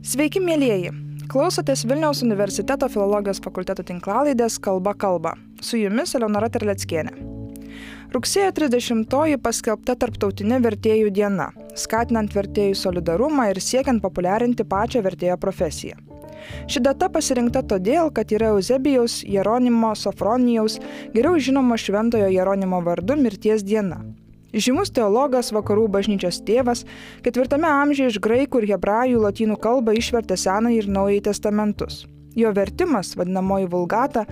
Sveiki, mielieji! Klausotės Vilniaus universiteto filologijos fakulteto tinklalaidės Kalba kalba. Su jumis Eleonora Terleckienė. Rugsėjo 30-oji paskelbta Tarptautinė vertėjų diena, skatinant vertėjų solidarumą ir siekiant populiarinti pačią vertėjo profesiją. Ši data pasirinkta todėl, kad yra Euzebijaus Jeronimo Sofronijaus, geriau žinomo Šventojo Jeronimo vardu mirties diena. Žymus teologas, vakarų bažnyčios tėvas, 4 amžiuje iš graikų ir hebrajų lotynų kalbą išvertė Senąjį ir Naująjį testamentus. Jo vertimas, vadinamoji vulgata,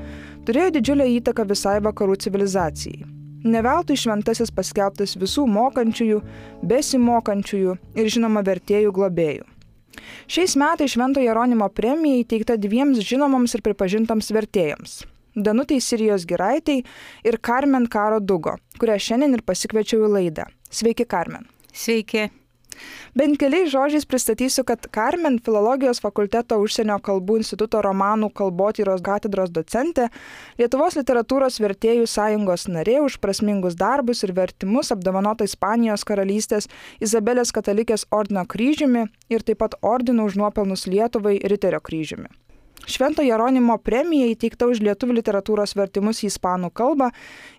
turėjo didžiulę įtaką visai vakarų civilizacijai. Ne veltui šventasis paskelbtas visų mokančiųjų, besimokančiųjų ir žinoma vertėjų globėjų. Šiais metais Švento Jeronimo premija įteikta 2 žinomoms ir pripažintams vertėjams. Danutei Sirijos Giraitei ir Karmen Karo Dugo, kurią šiandien ir pasikviečiau į laidą. Sveiki, Karmen. Sveiki. Bent keliais žodžiais pristatysiu, kad Karmen Filologijos fakulteto užsienio kalbų instituto romanų kalbotyros katedros docentė, Lietuvos literatūros vertėjų sąjungos narė už prasmingus darbus ir vertimus apdovanota Ispanijos karalystės Izabelės katalikės ordino kryžiumi ir taip pat ordinu už nuopelnus Lietuvai Riterio kryžiumi. Švento Jeronimo premija įteikta už lietuvių literatūros vertimus į ispanų kalbą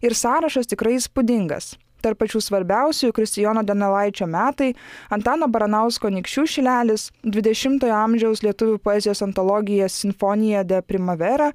ir sąrašas tikrai įspūdingas. Tarp pačių svarbiausių Kristijono Donelaičio metai, Antano Baranausko Nykščių šilelis, 20-ojo amžiaus lietuvių poezijos antologija Sinfonija de Primavera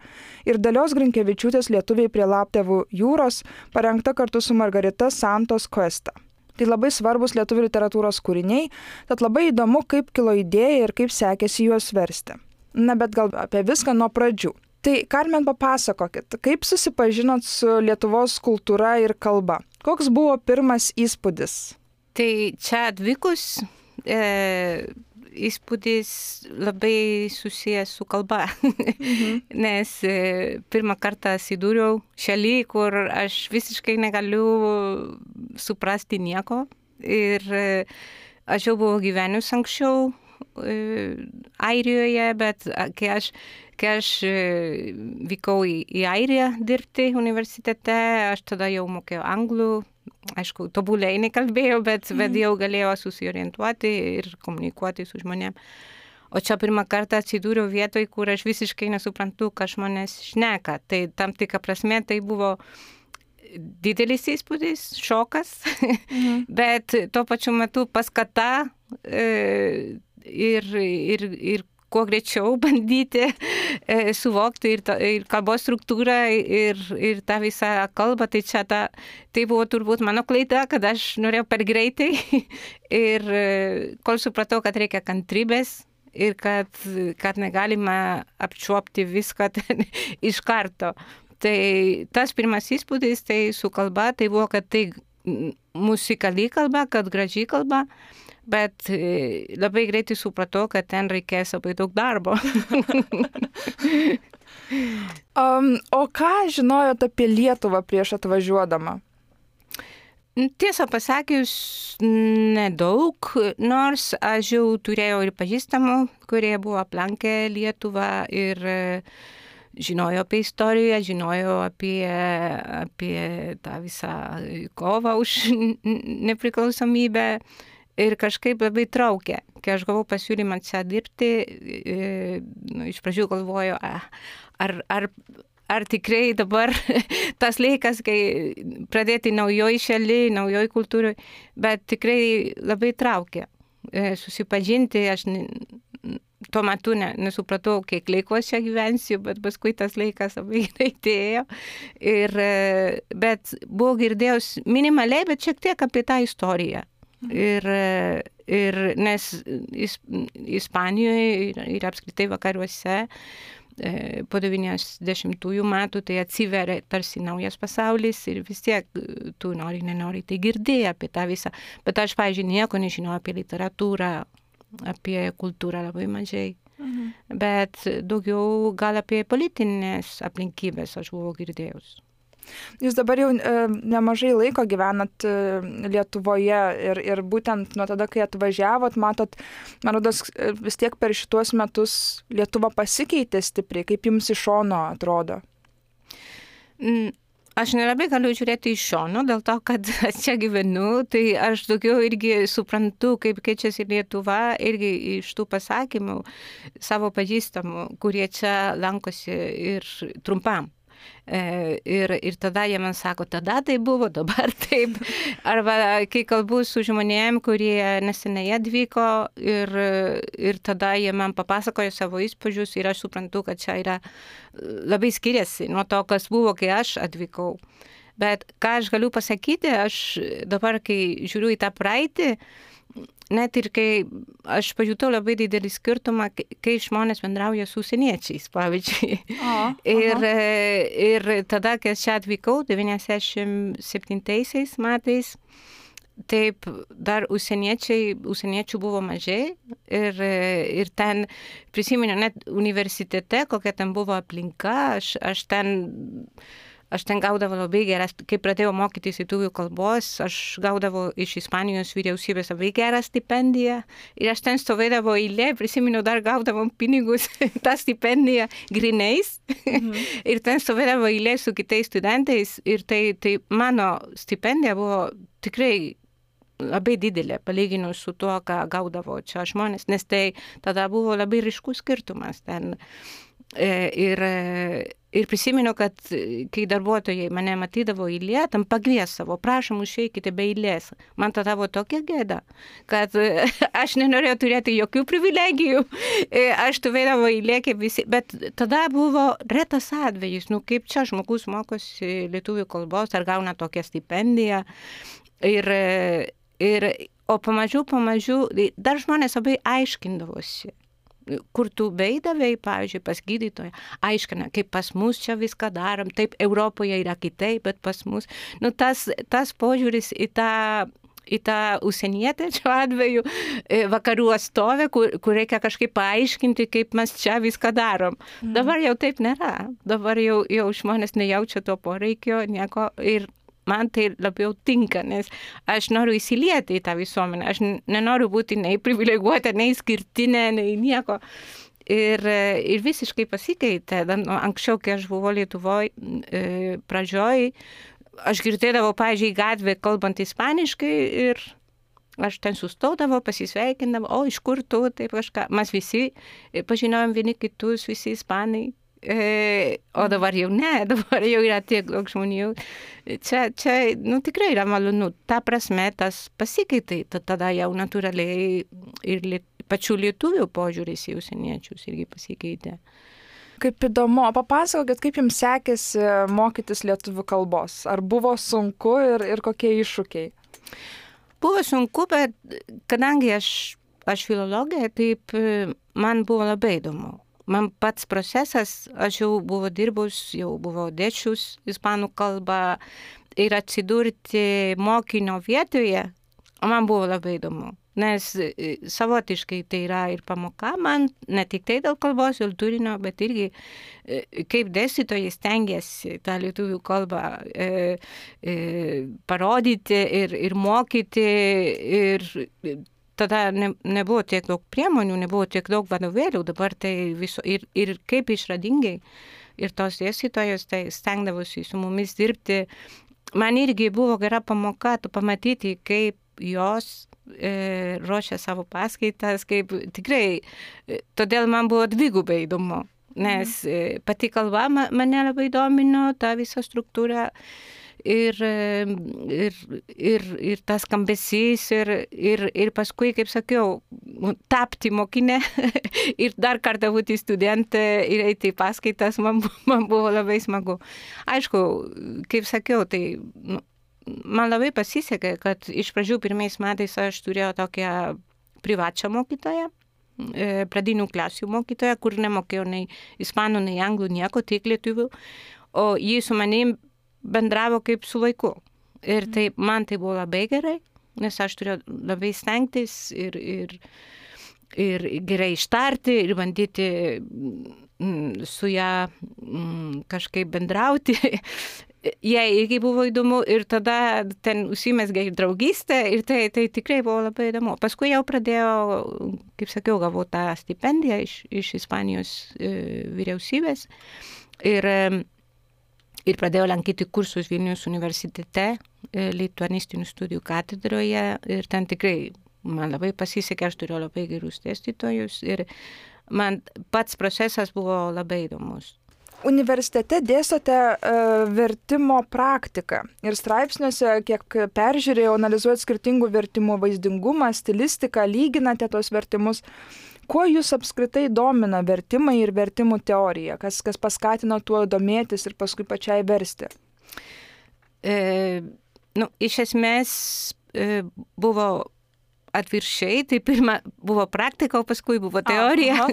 ir Dalios Grinkevičiūtės Lietuviai prie Laptevų jūros, parengta kartu su Margarita Santos Cuesta. Tai labai svarbus lietuvių literatūros kūriniai, tad labai įdomu, kaip kilo idėja ir kaip sekėsi juos versti. Na, bet gal apie viską nuo pradžių. Tai, Karmen, papasakokit, kaip susipažinot su Lietuvos kultūra ir kalba? Koks buvo pirmas įspūdis? Tai čia atvykus įspūdis labai susijęs su kalba, nes pirmą kartą atsidūriau šaly, kur aš visiškai negaliu suprasti nieko ir aš jau buvau gyvenus anksčiau Airijoje, bet kai aš vykau į Airiją dirbti universitete, aš tada jau mokėjau anglų, aišku, tobuliai nekalbėjau, bet jau galėjau susiorientuoti ir komunikuoti su žmonėm. O čia pirmą kartą atsidūriau vietoj, kur aš visiškai nesuprantu, ką žmonės šneka. Tai tam tikra prasme tai buvo didelis įspūdis, šokas, bet tuo pačiu metu paskata ir kuo greičiau bandyti suvokti ir kalbos struktūrą ir tą visą kalbą. Tai buvo turbūt mano klaida, kad aš norėjau per greitai ir kol supratau, kad reikia kantrybės ir kad negalima apčiuopti viską iš karto. Tai tas pirmas įspūdis tai su kalba, tai buvo, kad tai musikali kalba, kad graži kalba, bet labai greitai supratau, kad ten reikės labai daug darbo. O ką žinojot apie Lietuvą prieš atvažiuodama? Tiesą pasakius, nedaug, nors aš jau turėjau ir pažįstamų, kurie buvo aplankę Lietuvą ir žinojo apie istoriją, žinojo apie tą visą kovą už nepriklausomybę. Ir kažkaip labai traukė. Kai aš gavau pasiūlymą čia dirbti, iš pradžių galvoju, ar tikrai dabar tas laikas, kai pradėti naujoj šaly, naujoj kultūroj, bet tikrai labai traukė. Susipažinti, aš tuo metu nesupratau, kiek laiko aš čia gyvensiu, bet paskui tas laikas labai greitai ėjo. Bet buvau girdėjus minimaliai, bet šiek tiek apie tą istoriją. Ir nes Ispanijoje ir apskritai vakaruose po 90-ųjų metų tai atsiveria tarsi naujas pasaulis ir vis tiek tu nenori tai girdėjai apie tą visą. Bet aš, pavyzdžiui, nieko nežinau apie literatūrą, apie kultūrą labai mažai. Bet daugiau gal apie politinės aplinkybės aš buvau girdėjus. Jūs dabar jau nemažai laiko gyvenat Lietuvoje ir būtent nuo tada, kai atvažiavot, matot, man rodos, vis tiek per šituos metus Lietuva pasikeitė stipriai, kaip jums iš šono atrodo? Aš nelabai galiu žiūrėti iš šono, dėl to, kad aš čia gyvenu, tai aš daugiau irgi suprantu, kaip keičiasi Lietuva, irgi iš tų pasakymų savo pažįstamų, kurie čia lankosi ir trumpam. Ir tada jie man sako, tada tai buvo, dabar taip. Arba kai kalbu su žmonėm, kurie neseniai atvyko ir tada jie man papasakojo savo įspūdžius ir aš suprantu, kad čia yra labai skiriasi nuo to, kas buvo, kai aš atvykau. Bet ką aš galiu pasakyti, aš dabar, kai žiūriu į tą praeitį, net ir kai aš pajutau labai didelį skirtumą, kai žmonės bendrauja su užsieniečiais, pavyzdžiui. Ir tada, kai aš čia atvykau, 97 metais, taip dar užsieniečių buvo mažai ir ten prisimenu net universitete, kokia ten buvo aplinka, aš ten gaudavau labai geras, kai pradėjau mokytis lietuvių kalbos, aš gaudavau iš Ispanijos vyriausybės labai gerą stipendiją ir aš ten stovėdavau eilė, prisimenu, dar gaudavom pinigus, tą stipendiją grinais ir ten stovėdavau eilė su kitais studentais ir tai mano stipendija buvo tikrai labai didelė, palyginus su tuo, ką gaudavo čia žmonės, nes tai tada buvo labai ryškus skirtumas ten. Ir prisimenu, kad kai darbuotojai mane matydavo eilė, tam pakviesdavo, prašom, išeikite be eilės. Man tada buvo tokia gėda, kad aš nenorėjau turėti jokių privilegijų. Aš stovėdavau eilė kaip visi, bet tada buvo retas atvejis, kaip čia žmogus mokosi lietuvių kalbos ar gauna tokią stipendiją. O pamažu, dar žmonės labai aiškindavosi. Kur tu beidavai, pavyzdžiui, pas gydytoją, aiškina, kaip pas mus čia viską darom, taip Europoje yra kitaip, bet pas mus. Tas požiūris į tą užsienietę šiuo atveju vakarų atstovę, kur reikia kažkaip paaiškinti, kaip mes čia viską darom. Dabar jau taip nėra. Dabar jau žmonės nejaučia to poreikio, nieko ir man tai labiau tinka, nes aš noriu įsilieti į tą visuomenę. Aš nenoriu būti nei privileguota, nei skirtinė, nei nieko. Ir visiškai pasikeitė. Anksčiau, kai aš buvau Lietuvoje pradžioj, aš girdėdavau, pavyzdžiui, gatvę kalbant ispaniškai ir aš ten sustaudavau, pasisveikindavau, o iš kur tu, taip kažką. Mes visi pažinojom vieni kitus, visi ispanai. O dabar jau ne, dabar jau yra tiek daug žmonių. Čia tikrai yra malonu. Ta prasme, tas pasikeitė. Tada jau natūraliai ir pačių lietuvių požiūris į užsieniečius irgi pasikeitė. Kaip įdomu, papasakokit, kaip jums sekėsi mokytis lietuvių kalbos? Ar buvo sunku ir kokie iššūkiai? Buvo sunku, bet kadangi aš filologė, taip man buvo labai įdomu. Man pats procesas, aš jau buvau dirbus, jau buvau dėsčius ispanų kalbą ir atsidurti mokinio vietoje, man buvo labai įdomu. Nes savotiškai tai yra ir pamoka man, ne tik tai dėl kalbos ir turinio, bet irgi kaip dėstytojai stengiasi tą lietuvių kalbą parodyti ir mokyti ir tada nebuvo tiek daug priemonių, nebuvo tiek daug vadovėlių, dabar tai viso ir kaip išradingai ir tos dėstytojos tai stengdavosi su mumis dirbti. Man irgi buvo gera pamoka pamatyti, kaip jos ruošia savo paskaitas, kaip tikrai, todėl man buvo dvigubai įdomu, nes pati kalba mane labai domino, ta visa struktūra. Ir tas skambesys ir paskui, kaip sakiau, tapti mokinę ir dar kartą būti studentė ir eiti į paskaitas, man buvo labai smagu. Aišku, kaip sakiau, tai man labai pasisekė, kad iš pradžių pirmais metais aš turėjau tokią privačią mokytoją, pradinių klasių mokytoją, kur nemokėjau nei ispanų, nei anglų, nieko, tik lietuvių, o jį su manim bendravo kaip su vaiku. Ir man tai buvo labai gerai, nes aš turėjau labai stengtis ir gerai ištarti ir bandyti su ją kažkaip bendrauti. Jai irgi buvo įdomu ir tada ten užsimezgė draugystė ir tai tikrai buvo labai įdomu. Paskui jau pradėjau, kaip sakiau, gavau tą stipendiją iš Ispanijos vyriausybės ir pradėjau lankyti kursus Vilniaus universitete, lituanistinių studijų katedroje ir ten tikrai man labai pasisekė, aš turėjau labai gerus dėstytojus ir man pats procesas buvo labai įdomus. Universitete dėstote vertimo praktiką ir straipsniuose, kiek peržiūrėjau, analizuojat skirtingų vertimų vaizdingumą, stilistiką, lyginate tos vertimus. Kuo jūs apskritai domina vertimai ir vertimų teorija? Kas paskatino tuo domėtis ir paskui pačiai versti? Iš esmės buvo atviršiai, tai pirma buvo praktika, o paskui buvo teorija.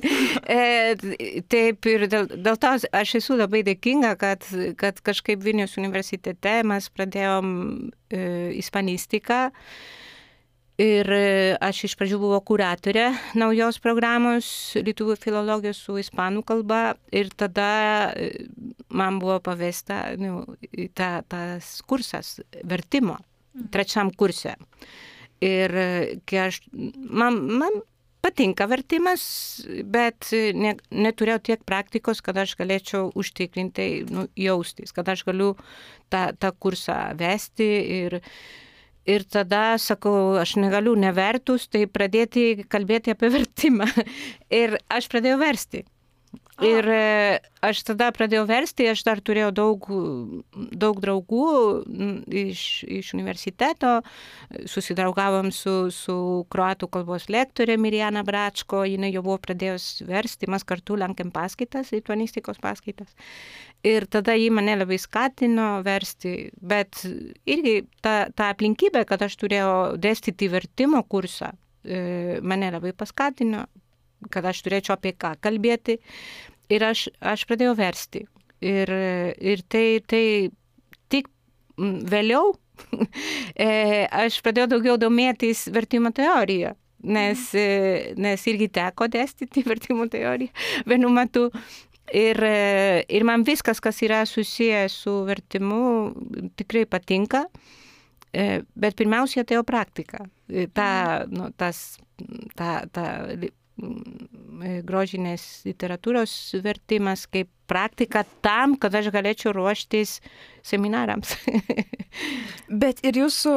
Taip ir dėl to aš esu labai dėkinga, kad kažkaip Vilniaus universitete mes pradėjom ispanistiką. Ir aš iš pradžių buvau kuratorė naujos programos lietuvių filologijos su ispanų kalba ir tada man buvo pavesta tas kursas vertimo, trečiam kurse. Ir kai man patinka vertimas, bet neturėjau tiek praktikos, kad aš galėčiau užtikrinti jaustis, kad aš galiu tą kursą vesti ir tada sakau, aš negaliu nevertus, tai pradėti kalbėti apie vertimą. Ir aš pradėjau versti. Ir aš tada pradėjau versti, aš dar turėjau daug draugų iš universiteto, susidraugavom su kroatų kalbos lektorė Mirjana Bračko, jinai jau buvo pradėjus versti, mes kartu lankėm paskaitas, lituanistikos paskaitas. Ir tada ji mane labai skatino versti, bet irgi ta aplinkybė, kad aš turėjau dėstyti vertimo kursą, mane labai paskatino, kad aš turėčiau apie ką kalbėti ir aš pradėjau versti. Ir tai tik vėliau aš pradėjau daugiau domėtis vertimo teoriją, nes irgi teko dėstyti vertimo teoriją vienu metu. Ir man viskas, kas yra susijęs su vertimu, tikrai patinka, bet pirmiausia atėjo praktika. Grožinės literatūros vertimas kaip praktika tam, kad aš galėčiau ruoštis seminarams. Bet ir jūsų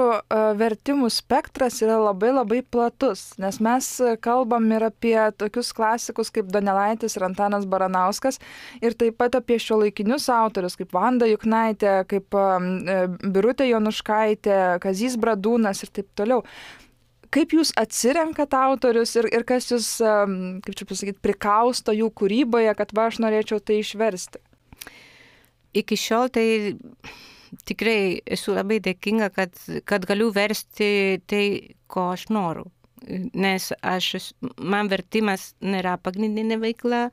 vertimų spektras yra labai labai platus, nes mes kalbam ir apie tokius klasikus kaip Donelaitis ir Antanas Baranauskas ir taip pat apie šiuolaikinius autorius kaip Vanda Juknaitė, kaip Birutė Jonuškaitė, Kazys Bradūnas ir taip toliau. Kaip jūs atsirenkat autorius ir kas jūs, kaip čia pasakyti, prikausto jų kūryboje, kad aš norėčiau tai išversti? Iki šiol tai tikrai esu labai dėkinga, kad galiu versti tai, ko aš noriu. Nes man vertimas nėra pagrindinė veikla,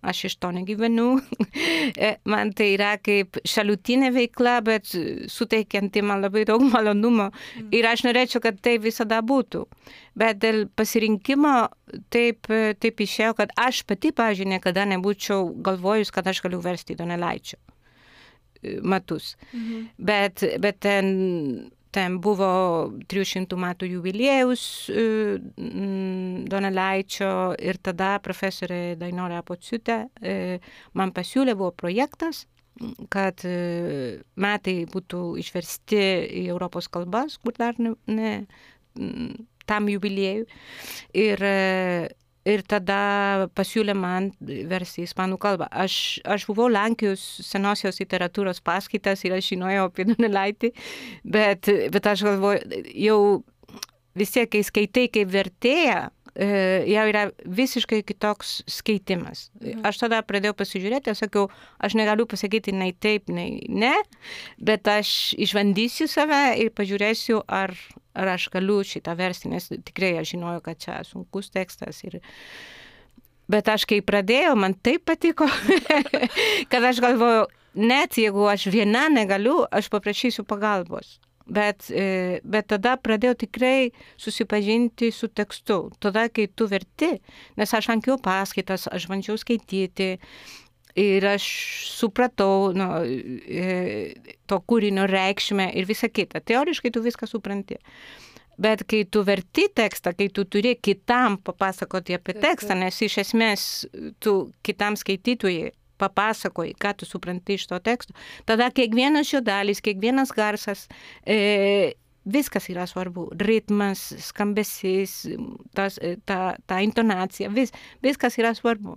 aš iš to negyvenu. Man tai yra kaip šalutinė veikla, bet suteikianti man labai daug malonumo. Ir aš norėčiau, kad tai visada būtų. Bet dėl pasirinkimo taip išėjo, kad aš pati, pavyzdžiui, niekada nebūčiau galvojus, kad aš galiu versti Donelaičio metus. Bet ten buvo 300 metų jubiliejus Donelaičio ir tada profesorė Dainora Pociūtė man pasiūlė, buvo projektas, kad metai būtų išversti į Europos kalbas, kur dar ne tam jubiliejui. Ir tada pasiūlė man versti ispanų kalbą. Aš buvau lankijus senosios literatūros paskaitas ir aš žinojau apie Donelaitį, bet aš galvoju, jau vis tiek, kai skaitai kaip vertėja, jau yra visiškai kitoks skaitimas. Aš tada pradėjau pasižiūrėti, aš sakiau, aš negaliu pasakyti nei taip, nei ne, bet aš išbandysiu save ir pažiūrėsiu, ar aš galiu šitą versti, nes tikrai aš žinojau, kad čia sunkus tekstas. Bet aš kai pradėjau, man taip patiko, kad aš galvojau, net jeigu aš viena negaliu, aš paprašysiu pagalbos. Bet tada pradėjau tikrai susipažinti su tekstu. Tada, kai tu verti, nes aš lankiau paskaitas, aš bandžiau skaityti ir aš supratau to kūrinio reikšmę ir visą kitą. Teoriškai tu viską supranti. Bet kai tu verti tekstą, kai tu turi kitam papasakoti apie tekstą, nes iš esmės tu kitam skaitytojui papasakoji, ką tu supranti iš to teksto, tada kiekvienas jo dalis, kiekvienas garsas, viskas yra svarbu. Ritmas, skambesys, ta intonacija, viskas yra svarbu.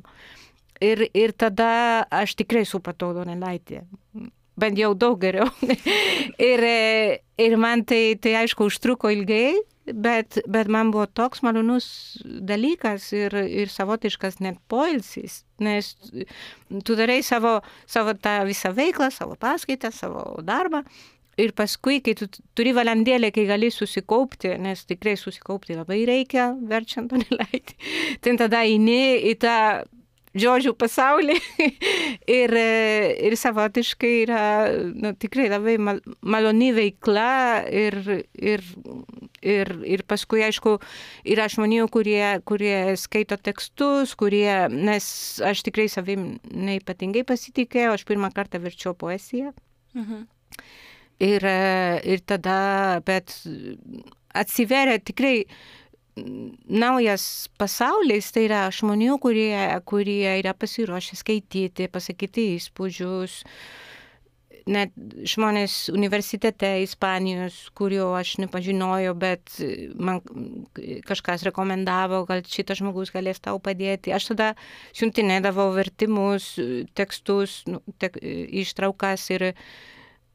Ir tada aš tikrai supratau Donelaitį. Bent jau daug geriau. ir man tai aišku užtruko ilgai, bet man buvo toks malonus dalykas ir savotiškas net poilsis, nes tu darai savo tą visą veiklą, savo paskaitą, savo darbą. Ir paskui, kai tu turi valandėlę, kai gali susikaupti, nes tikrai susikaupti labai reikia, verčiant Donelaitį, tai tada eini į tą žodžių pasaulį ir savotiškai yra tikrai labai maloni veikla ir paskui, aišku, yra žmonių, kurie skaito tekstus, nes aš tikrai savim neipatingai pasitikėjau, aš pirmą kartą verčiau poeziją. Ir tada, bet atsiveria tikrai naujas pasaulis, tai yra žmonių, kurie yra pasiruošę skaityti, pasakyti įspūdžius. Net žmonės universitete Ispanijos, kurio aš nepažinojau, bet man kažkas rekomendavo, gal šitas žmogus galės tau padėti. Aš tada siuntinėdavau vertimus, tekstus, ištraukas ir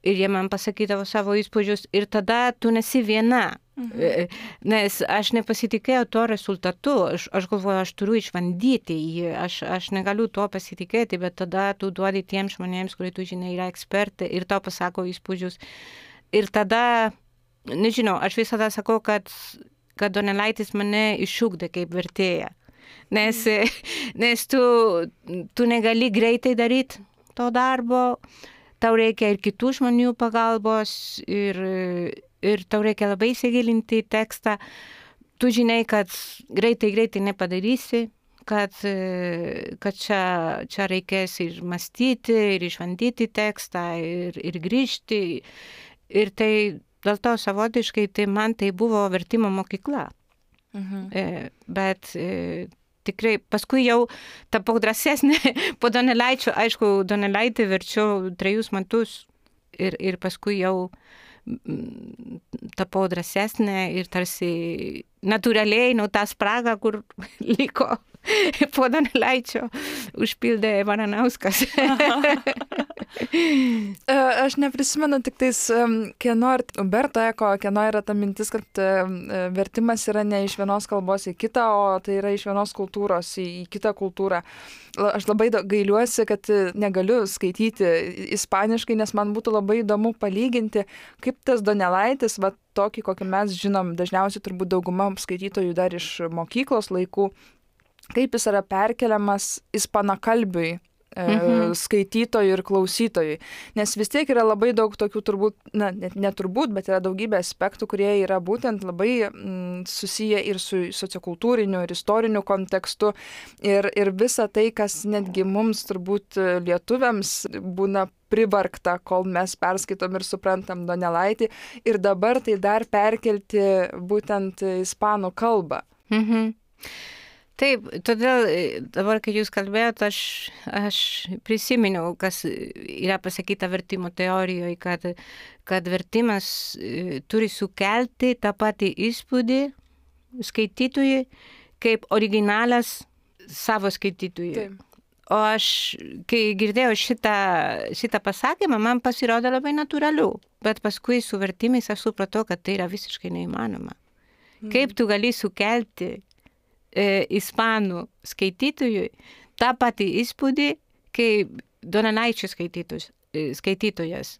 jie man pasakydavo savo įspūdžius ir tada tu nesi viena. Nes aš nepasitikėjau tuo rezultatu, aš galvoju, aš turiu išbandyti jį, aš negaliu tuo pasitikėti, bet tada tu duodi tiems žmonėms, kurie tu žinai yra ekspertai ir tau pasako įspūdžius. Ir tada, nežinau, aš visada sakau, kad Donelaitis mane išugdė kaip vertėja, nes tu negali greitai daryti to darbo, tau reikia ir kitų žmonių pagalbos ir tau reikia labai įsigilinti į tekstą. Tu žinai, kad greitai nepadarysi, kad čia reikės ir mąstyti, ir išbandyti tekstą, ir grįžti. Ir tai dėl to savotiškai man tai buvo vertimo mokykla. Bet tikrai paskui jau tapau drąsesnė po Donelaičio. Aišku, Donelaitį verčiau 3 metus ir paskui jau tapau drąsesnė ir tarsi natūraliai tą spragą, kur liko po Donelaičio, užpildė Baranauskas. Aš neprisimenu tik tais, kieno Umberto Eko, kieno yra ta mintis, kad vertimas yra ne iš vienos kalbos į kitą, o tai yra iš vienos kultūros į kitą kultūrą. Aš labai gailiuosi, kad negaliu skaityti ispaniškai, nes man būtų labai įdomu palyginti, kaip tas Donelaitis, va tokį, kokį mes žinom, dažniausiai turbūt dauguma skaitytojų dar iš mokyklos laikų, kaip jis yra perkeliamas ispanakalbiui skaitytojui ir klausytojui. Nes vis tiek yra labai daug tokių turbūt, neturbūt, bet yra daugybė aspektų, kurie yra būtent labai susiję ir su sociokultūriniu ir istoriniu kontekstu. Ir visa tai, kas netgi mums turbūt lietuviams būna privargta, kol mes perskaitom ir suprantam Donelaitį. Ir dabar tai dar perkelti būtent ispanų kalbą. Taip, todėl dabar, kai jūs kalbėjot, aš prisiminiau, kas yra pasakyta vertimo teorijoje, kad vertimas turi sukelti tą patį įspūdį skaitytojui, kaip originalas savo skaitytojui. Taip. O aš, kai girdėjau šitą pasakymą, man pasirodė labai natūralu, bet paskui su vertimais aš supratau, kad tai yra visiškai neįmanoma. Kaip tu gali sukelti ispanų skaitytojui tą patį įspūdį, kaip Donelaičio skaitytojas.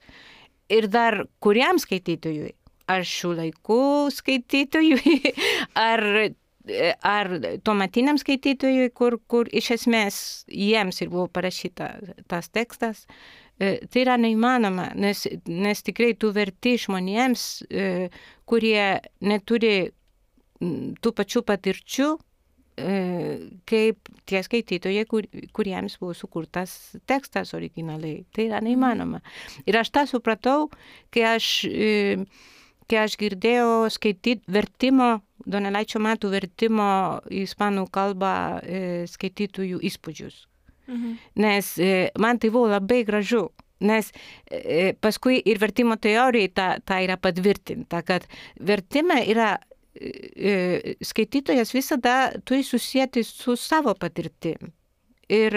Ir dar kuriam skaitytojui? Ar šių laikų skaitytojui? Ar tuometiniam skaitytojui, kur iš esmės jiems ir buvo parašyta tas tekstas? Tai yra neįmanoma, nes tikrai tu verti žmonėms, kurie neturi tų pačių patirčių, kaip tie skaitytojai, kuriems buvo sukurtas tekstas originaliai. Tai yra neįmanoma. Ir aš tą supratau, kai aš girdėjau vertimo, Donelaičio metų vertimo į ispanų kalbą skaitytojų įspūdžius. Nes man tai buvo labai gražu. Nes paskui ir vertimo teorijai ta yra patvirtinta, kad vertime yra skaitytojas visada turi susijęti su savo patirtim. Ir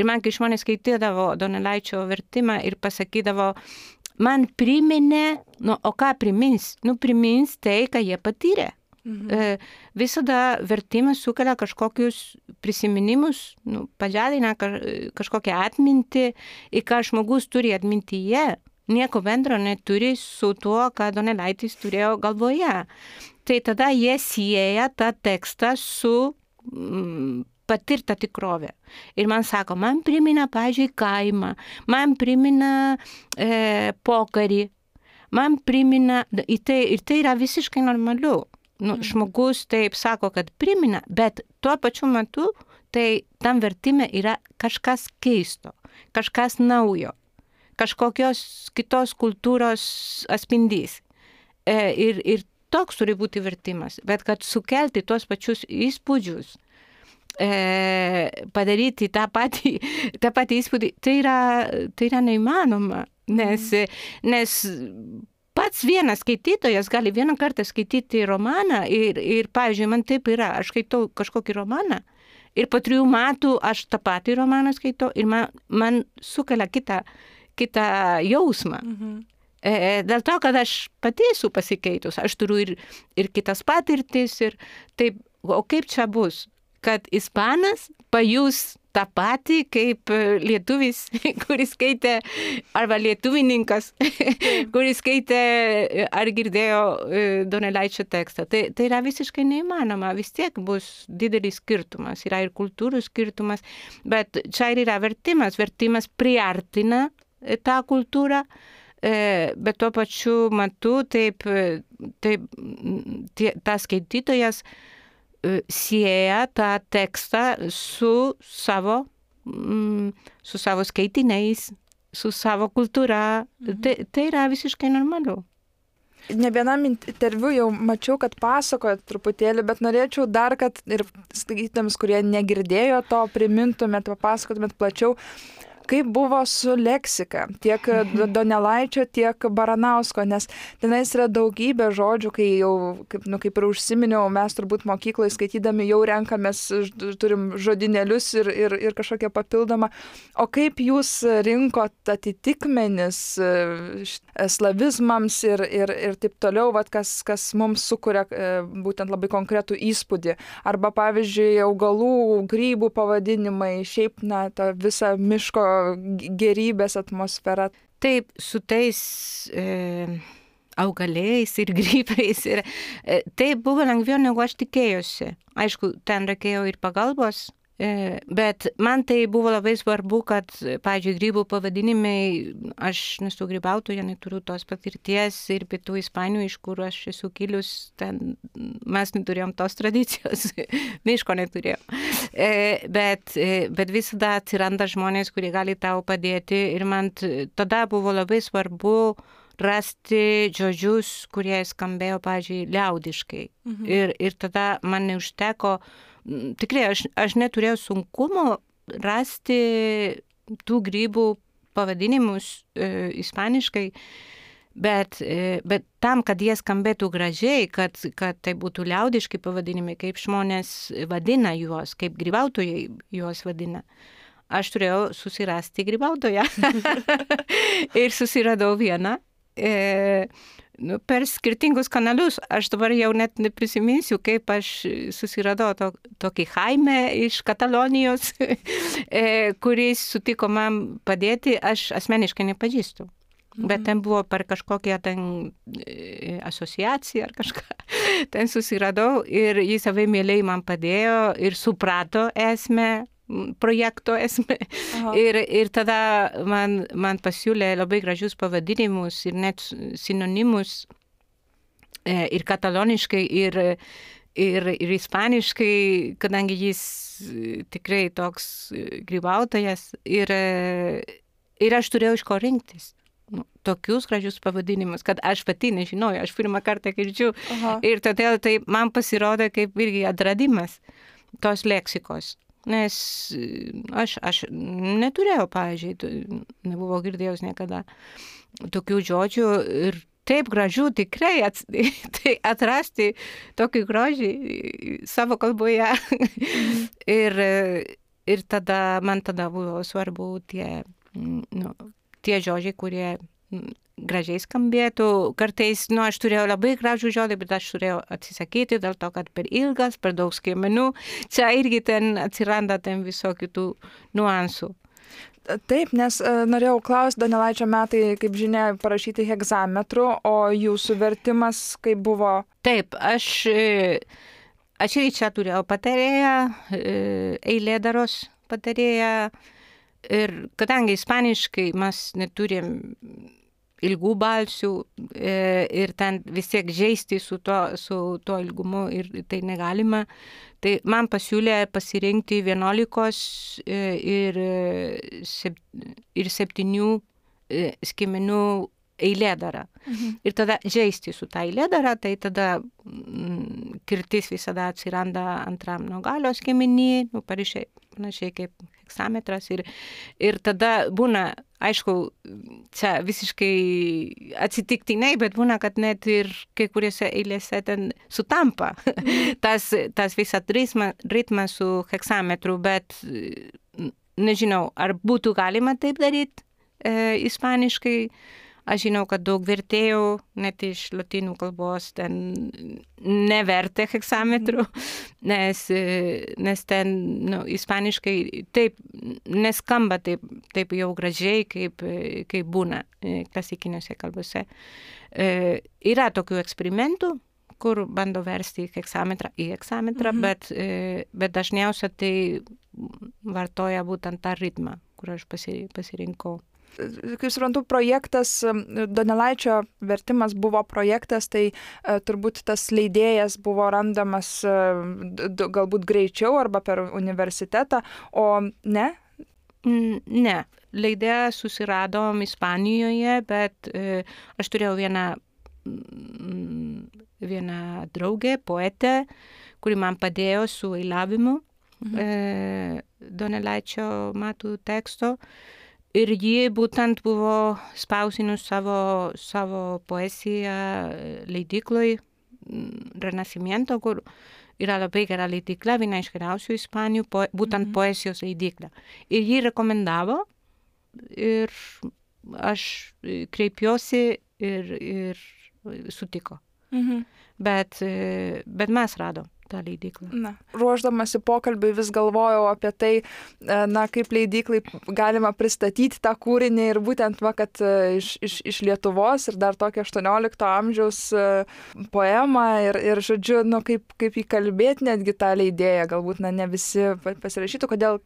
man, kai žmonės skaitydavo Donelaičio vertimą ir pasakydavo, man priminė, o ką primins? Primins tai, ką jie patyrė. Visada vertimas sukelia kažkokius prisiminimus, pažadina kažkokią atmintį, ir ką žmogus turi atmintyje, nieko bendro neturi su tuo, ką Donelaitis turėjo galvoje. Tai tada jie sieja tą tekstą su patirta tikrovė. Ir man sako, man primena, pavyzdžiui, kaimą, man primena pokarį, man primena, ir tai yra visiškai normalu. Žmogus taip sako, kad primena, bet tuo pačiu metu tai tam vertime yra kažkas keisto, kažkas naujo, kažkokios kitos kultūros atspindys. Ir toks turi būti vertimas, bet kad sukelti tuos pačius įspūdžius, padaryti tą patį įspūdį, tai yra neįmanoma, nes pats vienas skaitytojas gali vieną kartą skaityti romaną ir pavyzdžiui, man taip yra, aš skaitau kažkokį romaną ir po 3 metų aš tą patį romaną skaitau ir man sukelia kitą jausmą. Dėl to, kad aš pati esu pasikeitus, aš turiu ir kitas patirtis ir taip, o kaip čia bus, kad ispanas pajus tą patį kaip lietuvis, kuris skaitė, arba lietuvininkas, kuris skaitė ar girdėjo Donelaičio tekstą. Tai yra visiškai neįmanoma, vis tiek bus didelis skirtumas, yra ir kultūrų skirtumas, bet čia ir yra vertimas priartina tą kultūrą, bet tuo pačiu metu taip tas skaitytojas sieja tą tekstą su savo skaitiniais, su savo kultūra. Tai yra visiškai normalu. Ne vienam interviu jau mačiau, kad pasakojat truputėlį, bet norėčiau dar, kad ir skaitytams, kurie negirdėjo to, primintumėt, papasakotumėt plačiau, kaip buvo su leksika, tiek Donelaičio, tiek Baranausko, nes tenais yra daugybė žodžių, kai jau, kaip ir užsiminiau, mes turbūt mokykloje skaitydami jau renkamės, turim žodinėlius ir kažkokią papildomą. O kaip jūs rinkot atitikmenis slavizmams ir taip toliau, kas mums sukuria būtent labai konkretų įspūdį. Arba, pavyzdžiui, augalų, grybų pavadinimai, šiaip, ta visa miško gerybės atmosfera. Taip, su tais augaliais ir grybais. Tai buvo lengviau, negu aš tikėjusi. Aišku, ten reikėjo ir pagalbos, bet man tai buvo labai svarbu, kad, pavyzdžiui, grybų pavadinimai, aš nesu grybautoja, neturiu tos patirties ir pietų Ispanijų, iš kur aš esu kilus, ten mes neturėjom tos tradicijos, miško neturėjom. Bet visada atsiranda žmonės, kurie gali tau padėti ir man tada buvo labai svarbu rasti žodžius, kurie skambėjo, pavyzdžiui, liaudiškai. Ir tada man neužteko, tikrai aš neturėjau sunkumo rasti tų grybų pavadinimus ispaniškai, bet tam, kad jie skambėtų gražiai, kad tai būtų liaudiški pavadinimai, kaip žmonės vadina juos, kaip grybautojai juos vadina. Aš turėjau susirasti grybautoją ir susiradau vieną. Per skirtingus kanalus, aš dabar jau net neprisiminsiu, kaip aš susiradau tokį Jaime iš Katalonijos, kuris sutiko man padėti, aš asmeniškai nepažįstu. Bet ten buvo per kažkokią ten asociaciją ar kažką. Ten susiradau ir jis labai mieliai man padėjo ir suprato esmę, projekto esmę. Ir tada man pasiūlė labai gražius pavadinimus ir net sinonimus ir kataloniškai, ir ispaniškai, kadangi jis tikrai toks grybautojas. Ir aš turėjau iš ko rinktis. Tokius gražius pavadinimus, kad aš pati nežinojau, aš pirmą kartą girdžiu. Ir todėl tai man pasirodė kaip irgi atradimas tos leksikos. nes aš neturėjau, pavyzdžiui, nebuvau girdėjus niekada tokių žodžių ir taip gražu tikrai tai atrasti tokį grožį savo kalboje. ir man tada buvo svarbu tie žodžiai, kurie gražiai skambėtų. Kartais, aš turėjau labai gražų žodį, bet aš turėjau atsisakyti dėl to, kad per ilgas, per daug skiemenų. Čia irgi ten atsiranda visokių tų niuansų. Taip, nes norėjau klausti, Donelaičio metai, kaip žinia, parašyti hegzametru, o jūsų vertimas kaip buvo? Taip, aš ir čia turėjau patarėją, eilėdaros patarėją, ir kadangi ispaniškai mes neturim ilgų balsių ir ten vis tiek žaisti su to ilgumu ir tai negalima. Tai man pasiūlė pasirinkti 11 ir 7 skiemenų eilėdarą. Ir tada žaisti su tą eilėdarą, tai tada kirtis visada atsiranda antram nuo galio skiemenį, panašiai kaip heksametras. Ir tada būna, aišku, čia visiškai atsitiktinai, bet būna, kad net ir kai kuriuose eilėse ten sutampa tas visas ritmas su heksametru, bet nežinau, ar būtų galima taip daryti ispaniškai. Aš žinau, kad daug vertėjų, net iš lotynų kalbos, ten nevertė heksametrų, nes ten ispaniškai taip neskamba taip jau gražiai, kaip būna klasikiniuose kalbose. Yra tokių eksperimentų, kur bando versti heksametrą į heksametrą, bet dažniausiai tai vartoja būtent tą ritmą, kur aš pasirinkau. Kaip suprantu, projektas, Donelaičio vertimas buvo projektas, tai turbūt tas leidėjas buvo randamas galbūt greičiau arba per universitetą, o ne? Ne, leidėją susiradom Ispanijoje, bet aš turėjau vieną draugę, poetę, kuri man padėjo su eiliavimu Donelaičio metų teksto. Ir ji būtent buvo spausinus savo poeziją leidykloj Renacimiento, kur yra labai gera leidykla, viena iš geriausių Ispanijų, būtent poezijos leidykla. Ir ji rekomendavo ir aš kreipiuosi ir sutiko. Bet mes radom tą leidyklą. Ruošdamasi pokalbiui vis galvojau apie tai, kaip leidyklai galima pristatyti tą kūrinį ir būtent, kad iš Lietuvos ir dar tokia 18 amžiaus poema ir žodžiu, kaip įkalbėti netgi tą leidėją, galbūt ne visi pasirašytų, kodėl.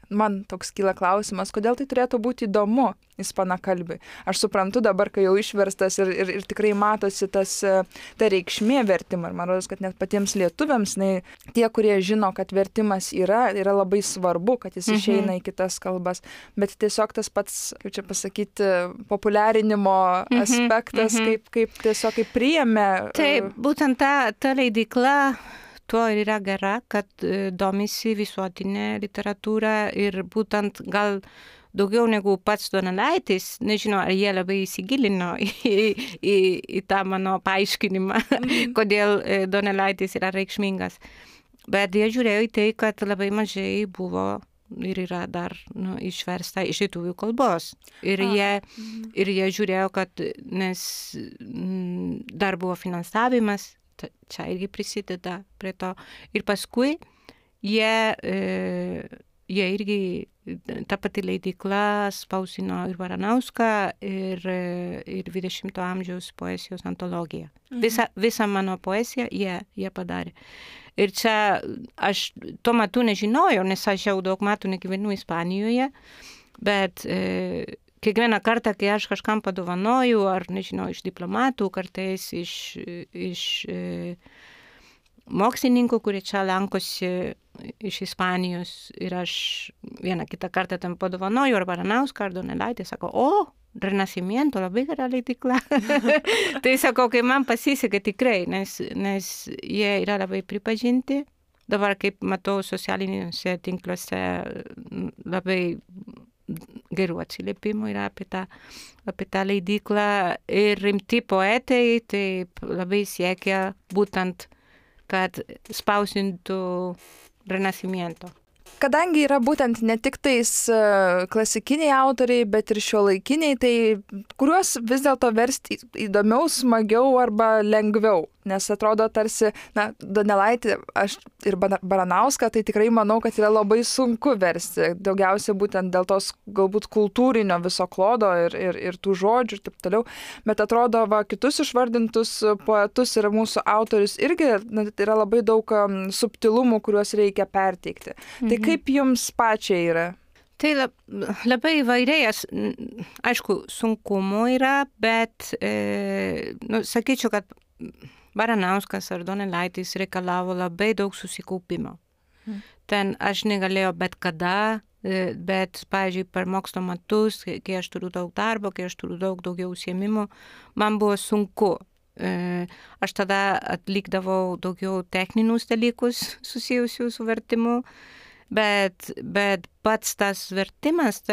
Man toks kyla klausimas, kodėl tai turėtų būti įdomu ispanakalbiui. Aš suprantu dabar, kai jau išverstas ir tikrai matosi ta reikšmė vertimo. Ir man rodos, kad net patiems lietuviams, tie, kurie žino, kad vertimas yra labai svarbu, kad jis išeina į kitas kalbas. Bet tiesiog tas pats, kaip čia pasakyti, populiarinimo aspektas, kaip tiesiog kaip priėmė. Taip, būtent ta leidykla tuo ir yra gera, kad domisi visuotinė literatūra ir būtent gal daugiau negu pats Donelaitis, nežinau, ar jie labai įsigilino į tą mano paaiškinimą, kodėl Donelaitis yra reikšmingas. Bet jie žiūrėjo į tai, kad labai mažai buvo ir yra dar išversta iš lietuvių kalbos. Ir jie žiūrėjo, kad nes dar buvo finansavimas, čia irgi prisideda prie to. Ir paskui jie irgi, ta pati leidykla spausino ir Baranauską, ir 20 amžiaus poezijos antologiją. Visą mano poeziją jie padarė. Ir čia aš tuo metu nežinojau, nes aš jau daug metų negyvenu Ispanijoje, bet kiekvieną kartą, kai aš kažkam padovanoju, ar nežinau, iš diplomatų, kartais iš mokslininkų, kurie čia lankosi iš Ispanijos, ir aš vieną kitą kartą tam padovanoju, ar Baranauską, ar Donelaitį, sako, Renacimiento, labai gera leidykla. Tai sakau, kai man pasisekė tikrai, nes jie yra labai pripažinti dabar, kaip matau, socialiniuose tinkluose labai gerų atsiliepimų yra apie tą leidyklą ir rimti poetai taip labai siekia būtent, kad spausintų Renascimento. Kadangi yra būtent ne tik tais klasikiniai autoriai, bet ir šiuolaikiniai, tai kuriuos vis dėlto versti įdomiau, smagiau arba lengviau? Nes atrodo tarsi, Donelaitį ir Baranauską, tai tikrai manau, kad yra labai sunku versti. Daugiausiai būtent dėl tos galbūt kultūrinio viso klodo ir tų žodžių ir taip toliau. Bet atrodo, kitus išvardintus poetus ir mūsų autorius irgi yra labai daug subtilumų, kuriuos reikia perteikti. Tai kaip jums pačiai yra? Tai labai įvairiai, aišku, sunkumų yra, bet sakyčiau, kad Baranauskas ar Donelaitis reikalavo labai daug susikaupimo. Ten aš negalėjau bet kada, bet, pavyzdžiui, per mokslo metus, kai aš turiu daug darbo, kai aš turiu daugiau užsiėmimų, man buvo sunku. Aš tada atlikdavau daugiau techninius dalykus susijusių su vertimu, bet pats tas vertimas,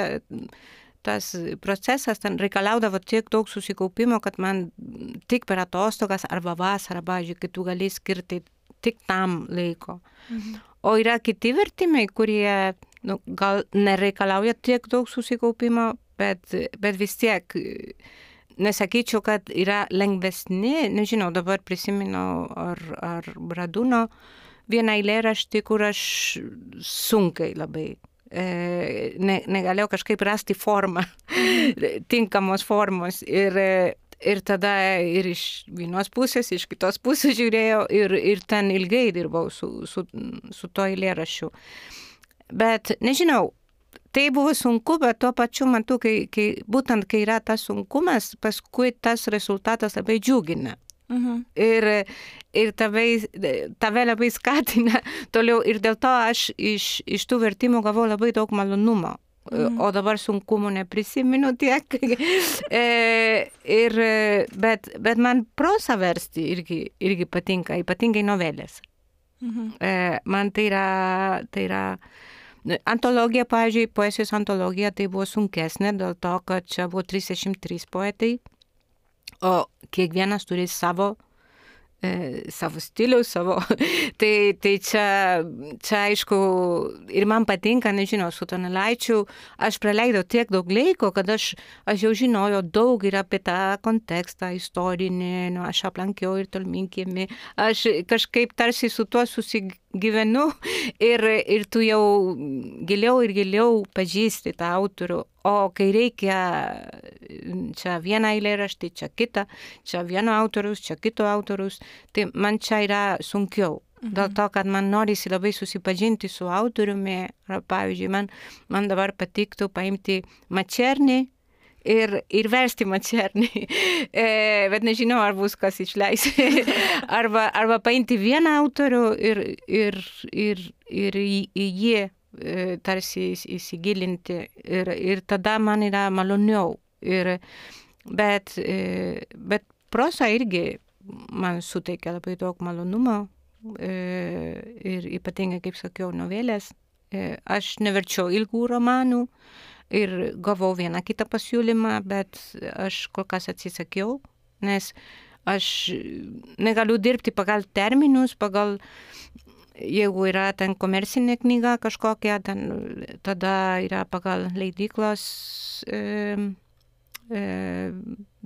tas procesas ten reikalaudavo tiek daug susikaupimo, kad man tik per atostogas arba vasarą, pavyzdžiui, kai tu gali skirti tik tam laiko. O yra kiti vertimai, kurie gal nereikalauja tiek daug susikaupimo, bet vis tiek nesakyčiau, kad yra lengvesni, nežinau, dabar prisimenu ar Bradūno vieną eilėraštį, kur aš sunkiai labai negalėjau kažkaip rasti formą, tinkamos formos ir tada ir iš vienos pusės, iš kitos pusės žiūrėjau ir ten ilgai dirbau su to eilėraščiu. Bet nežinau, tai buvo sunku, bet tuo pačiu metu, būtent kai yra tas sunkumas, paskui tas rezultatas labai džiugina. Ir tave labai skatina toliau ir dėl to aš iš tų vertimų gavau labai daug malonumo. O dabar sunkumų neprisimenu tiek. Bet man prosą versti irgi patinka, ypatingai novelės. Man tai yra antologija, pavyzdžiui, poezijos antologija tai buvo sunkesnė dėl to, kad čia buvo 33 poetai. O kiekvienas turi savo stilių, tai čia aišku, ir man patinka, nežinau, su Donelaičiu aš praleidau tiek daug laiko, kad aš jau žinojau daug ir apie tą kontekstą istorinį, aš aplankiau ir Tolminkiemį, aš kažkaip tarsi su tuo susigyvenu ir tu jau giliau pažįsti tą autorių. O kai reikia čia vieną eilėraštį, čia kitą, čia vieno autorius, čia kito autorius, tai man čia yra sunkiau. Dėl to, kad man norisi labai susipažinti su autoriumi. Pavyzdžiui, man dabar patiktų paimti Mačernį ir versti Mačernį. Bet nežinau, ar bus kas išleis. arba paimti vieną autorių ir į jį tarsi įsigilinti ir tada man yra maloniau. Bet prosa irgi man suteikia labai daug malonumo ir ypatingai, kaip sakiau, novelės. Aš neverčiau ilgų romanų ir gavau vieną kitą pasiūlymą, bet aš kol kas atsisakiau, nes aš negaliu dirbti pagal terminus, jeigu yra ten komercinė knyga kažkokia, tada yra pagal leidyklos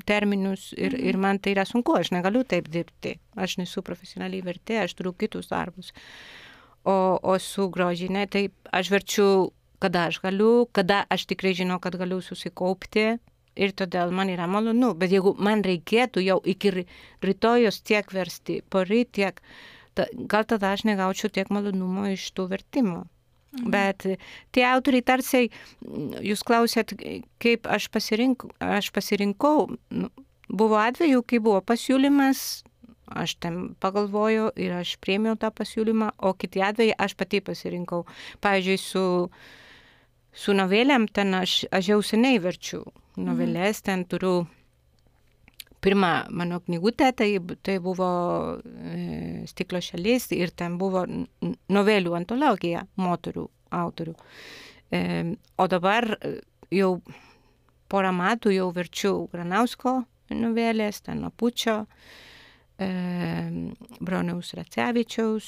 terminus ir man tai yra sunku, aš negaliu taip dirbti. Aš nesu profesionaliai vertėja, aš turiu kitus darbus. O su grožinė, tai aš verčiu, kada aš galiu, kada aš tikrai žinau, kad galiu susikaupti ir todėl man yra malonu. Bet jeigu man reikėtų jau iki rytojos tiek versti, poryt tiek, gal tada aš negaučiau tiek malonumo iš tų vertimų. Bet tie autoriai tarsi, jūs klausėt, kaip aš pasirinkau. Buvo atveju, kai buvo pasiūlymas, aš ten pagalvojau ir aš priėmiau tą pasiūlymą, o kiti atvejai aš pati pasirinkau. Pavyzdžiui, su novelėm ten aš jau seniai verčiu novelės, ten turiu pirmą mano knygutę, tai buvo Stiklo šalis ir ten buvo novelių antologija moterų autorių. O dabar jau porą metų jau verčiu Granausko novelės, ten Apučio, Broniaus Racevičiaus,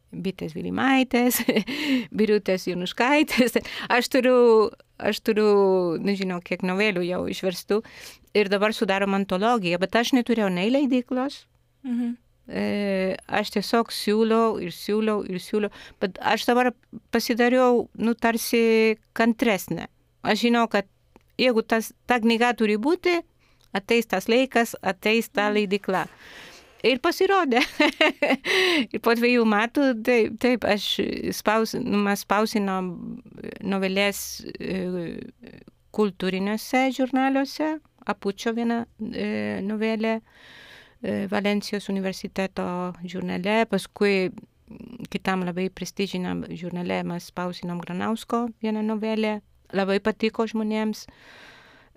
Bitės Vilimaitės, Birutės Jonuškaitės. Aš turiu, nežinau, kiek novelių jau išverstų ir dabar sudarom antologiją, bet aš neturėjau nei leidyklos. Aš tiesiog siūliau, bet aš dabar pasidariau, tarsi kantresnė. Aš žinau, kad jeigu ta knyga turi būti, ateis tas laikas, ateis ta leidykla. Ir pasirodė. Ir po 2 metų, taip, mes spausinom novelės kultūriniuose žurnaliuose, Apučio viena novelė, Valencijos universiteto žurnale, paskui kitam labai prestižiniam žurnale mes spausinom Granausko vieną novelę, labai patiko žmonėms.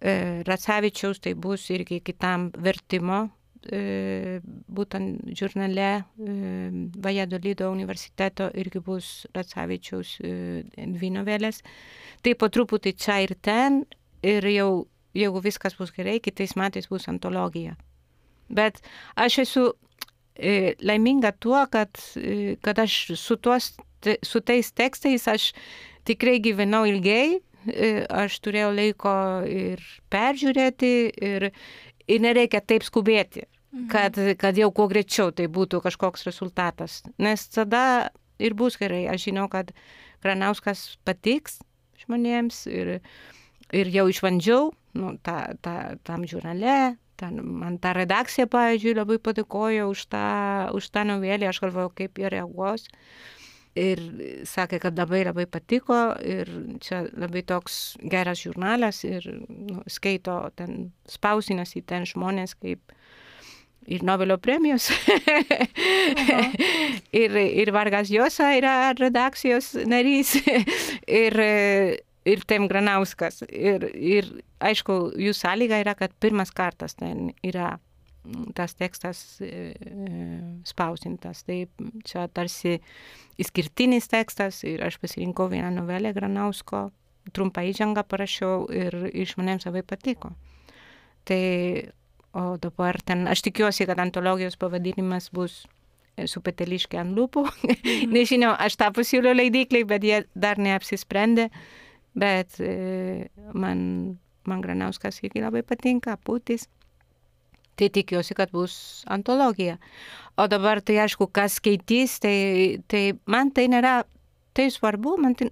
Racevičiaus tai bus irgi kitam vertimo, būtent žurnale Valladolido universiteto irgi bus Racevičiaus 2 novelės. Tai po truputį čia ir ten ir jau, jeigu viskas bus gerai, kitais metais bus antologija. Bet aš esu laiminga tuo, kad aš su tais tekstais aš tikrai gyvenau ilgai, aš turėjau laiko ir peržiūrėti ir nereikia taip skubėti, kad jau kuo greičiau tai būtų kažkoks rezultatas. Nes tada ir bus gerai. Aš žinau, kad Granauskas patiks žmonėms ir jau išbandžiau tam žurnale. Man ta redakcija, pavyzdžiui, labai padėkojo už tą novelę, aš galvojau, kaip jie reaguos. Ir sakė, kad labai patiko ir čia labai toks geras žurnalas ir skaito ten, spausinasi ten žmonės kaip ir Nobelio premijos. ir Vargas Llosa yra redakcijos narys ir Tem Granauskas. Ir aišku, jų sąlyga yra, kad pirmas kartas ten yra tas tekstas spausintas. Tai čia tarsi išskirtinis tekstas ir aš pasirinkau vieną novelę Granausko, trumpą įžangą parašiau ir žmonėms labai patiko. Tai, o dabar ten, aš tikiuosi, kad antologijos pavadinimas bus Su peteliške ant lūpų. Nežinau, aš tą pasiūliau leidyklai, bet jie dar neapsisprendė. Bet man Granauskas irgi labai patinka, Aputis. Tai tikiuosi, kad bus antologija. O dabar tai aišku, kas skaitys, tai man tai nėra tai svarbu. Man tai,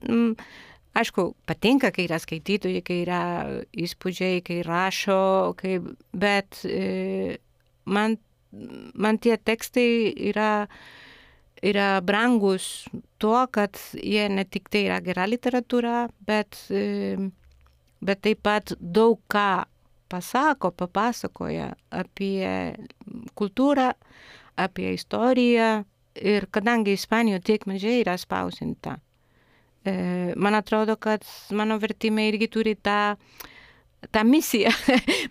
aišku, patinka, kai yra skaitytojai, kai yra įspūdžiai, kai rašo, bet man tie tekstai yra brangus tuo, kad jie ne tik tai yra gera literatūra, bet taip pat daug ką papasakoja apie kultūrą, apie istoriją ir kadangi Ispanijoje tiek mažai yra spausinta, man atrodo, kad mano vertimai irgi turi tą misiją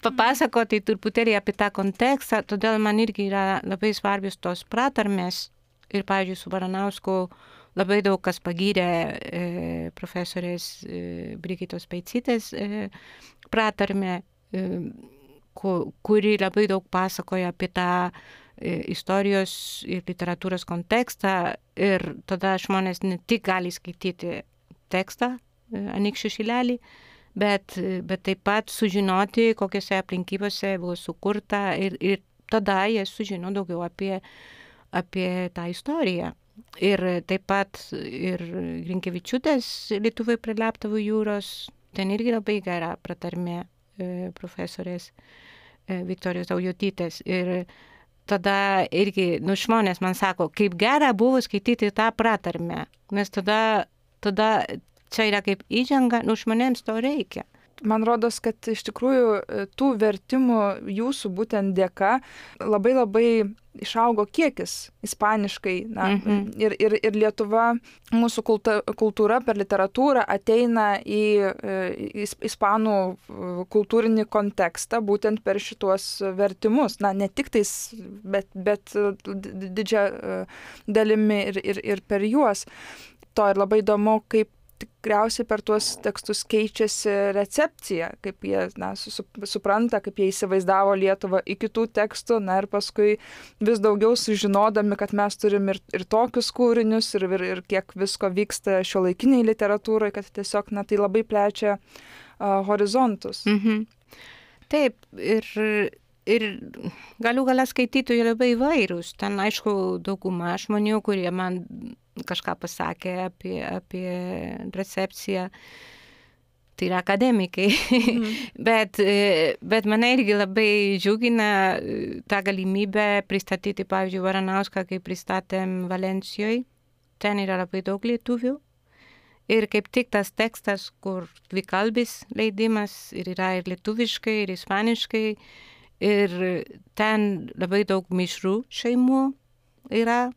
papasakoti truputėlį apie tą kontekstą, todėl man irgi yra labai svarbios tos pratarmės. Ir, pavyzdžiui, su Baranausku labai daug kas pagyrė profesorės Brigitos Peicytės pratarmę, kuri labai daug pasakoja apie tą istorijos ir literatūros kontekstą. Ir tada žmonės ne tik gali skaityti tekstą, Anykščių šilelį, bet taip pat sužinoti, kokiose aplinkybėse buvo sukurta ir tada jie sužino daugiau apie tą istoriją. Ir taip pat ir Grinkevičiūtės Lietuvai prie Leptavų jūros, ten irgi labai gera pratarmė profesorės Viktorijos Daujotytės. Ir tada irgi, žmonės man sako, kaip gera buvo skaityti tą pratarmę, nes tada čia yra kaip įžanga, žmonėms to reikia. Man rodos, kad iš tikrųjų tų vertimų jūsų būtent dėka labai išaugo kiekis ispaniškai, ir Lietuva, mūsų kultūra per literatūrą ateina į ispanų kultūrinį kontekstą būtent per šituos vertimus. Ne tik tais, bet didžia dalimi ir per juos. To ir labai įdomu, kaip tikriausiai per tuos tekstus keičiasi recepcija, kaip jie supranta, kaip jie įsivaizdavo Lietuvą į kitų tekstų, ir paskui vis daugiau sužinodami, kad mes turim ir tokius kūrinius, ir kiek visko vyksta šiuolaikiniai literatūrai, kad tiesiog tai labai plečia horizontus. Taip, ir galių gale skaitytojai labai įvairūs. Ten, aišku, dauguma žmonių, kurie man kažką pasakė apie recepciją, tai yra akademikai. bet mane irgi labai džiugina tą galimybę pristatyti, pavyzdžiui, Varanauską, kai pristatėm Valencijoj. Ten yra labai daug lietuvių. Ir kaip tik tas tekstas, kur dvikalbis leidimas, ir yra ir lietuviškai, ir ispaniškai, ir ten labai daug mišrų šeimų yra,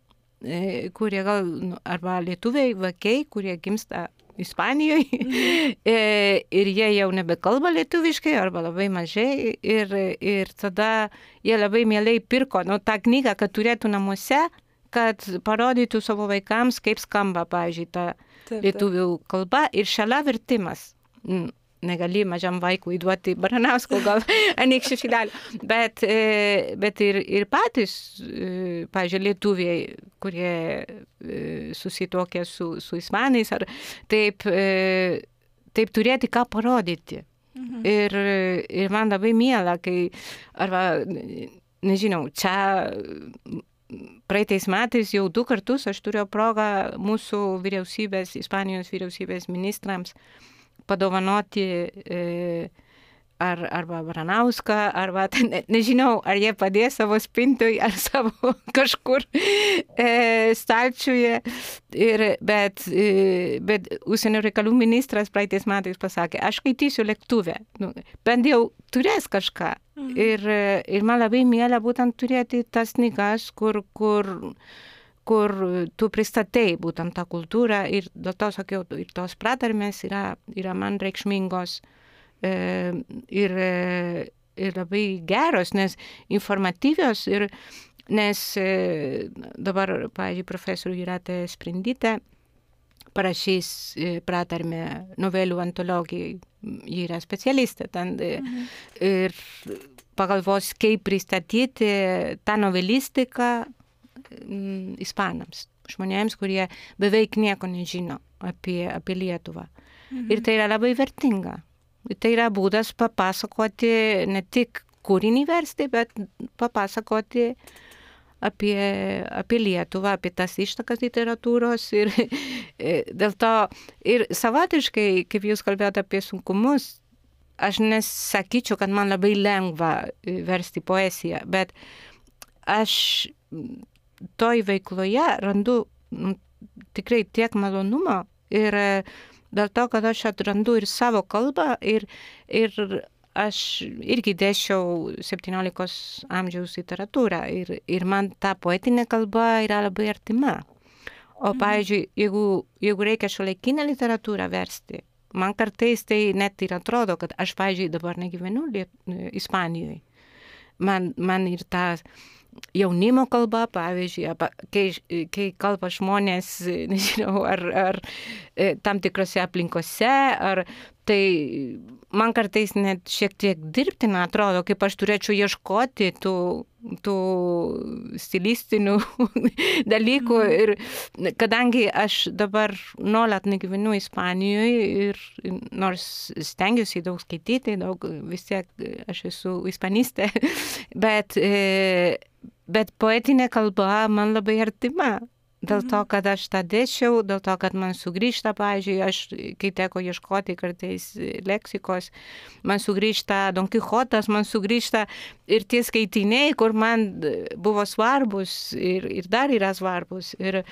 kurie gal arba lietuviai vaikai, kurie gimsta Ispanijoje ir jie jau nebekalba lietuviškai arba labai mažai ir tada jie labai mielai pirko tą knygą, kad turėtų namuose, kad parodytų savo vaikams, kaip skamba, pavyzdžiui, ta lietuvių kalba ir šalia vertimas. Negali mažam vaikui duoti Baranausko gal anykščių šilelį, bet ir patys, pavyzdžiui, lietuviai, kurie susituokė su ispanais, ar taip turėti ką parodyti. Ir man labai miela, kai, arba, nežinau, čia praeitais metais jau 2 kartus aš turėjau progą mūsų vyriausybės, Ispanijos vyriausybės ministrams padovanoti arba Baranauską, arba nežinau, ar jie padės savo spintoj, ar savo kažkur stalčiuje. Bet užsienio reikalų ministras praeitais metais pasakė, aš skaitysiu lėktuve, bent jau turės kažką. Ir man labai miela būtent turėti tas knygas, kur tu pristatai būtent tą kultūrą ir dėl to sakiau, ir tos pratarmės yra man reikšmingos ir labai geros, nes informatyvios nes dabar, pavyzdžiui, profesorių Jūratė Sprindytė parašys pratarmę novelių antologijai, ji yra specialistė ten ir pagalvos, kaip pristatyti tą novelistiką ispanams, žmonėms, kurie beveik nieko nežino apie Lietuvą. Ir tai yra labai vertinga. Tai yra būdas papasakoti, ne tik kūrinį versti, bet papasakoti apie Lietuvą, apie tas ištakas literatūros. Ir dėl to, ir savotiškai, kaip jūs kalbėjote apie sunkumus, aš nesakyčiau, kad man labai lengva versti poeziją, bet aš toj veikloje randu tikrai tiek malonumo ir dėl to, kad aš atrandu ir savo kalbą ir aš irgi dėsčiau 17 amžiaus literatūrą ir man ta poetinė kalba yra labai artima. O pavyzdžiui, jeigu reikia šiuolaikinę literatūrą versti, man kartais tai net ir atrodo, kad aš, pavyzdžiui, dabar negyvenu Ispanijoje. Man ir ta jaunimo kalba, pavyzdžiui, kai kalba žmonės, nežinau, ar tam tikrose aplinkose, ar tai man kartais net šiek tiek dirbtina atrodo, kaip aš turėčiau ieškoti tų stilistinių dalykų. Ir kadangi aš dabar nuolat negyvenu Ispanijoje ir nors stengiuosi daug skaityti, vis tiek aš esu ispanistė, bet poetinė kalba man labai artima. Dėl to, kad aš tą dėsčiau, dėl to, kad man sugrįžta, pavyzdžiui, kai teko ieškoti kartais leksikos, man sugrįžta Don Kichotas, man sugrįžta ir tie skaitiniai, kur man buvo svarbus ir dar yra svarbus, ir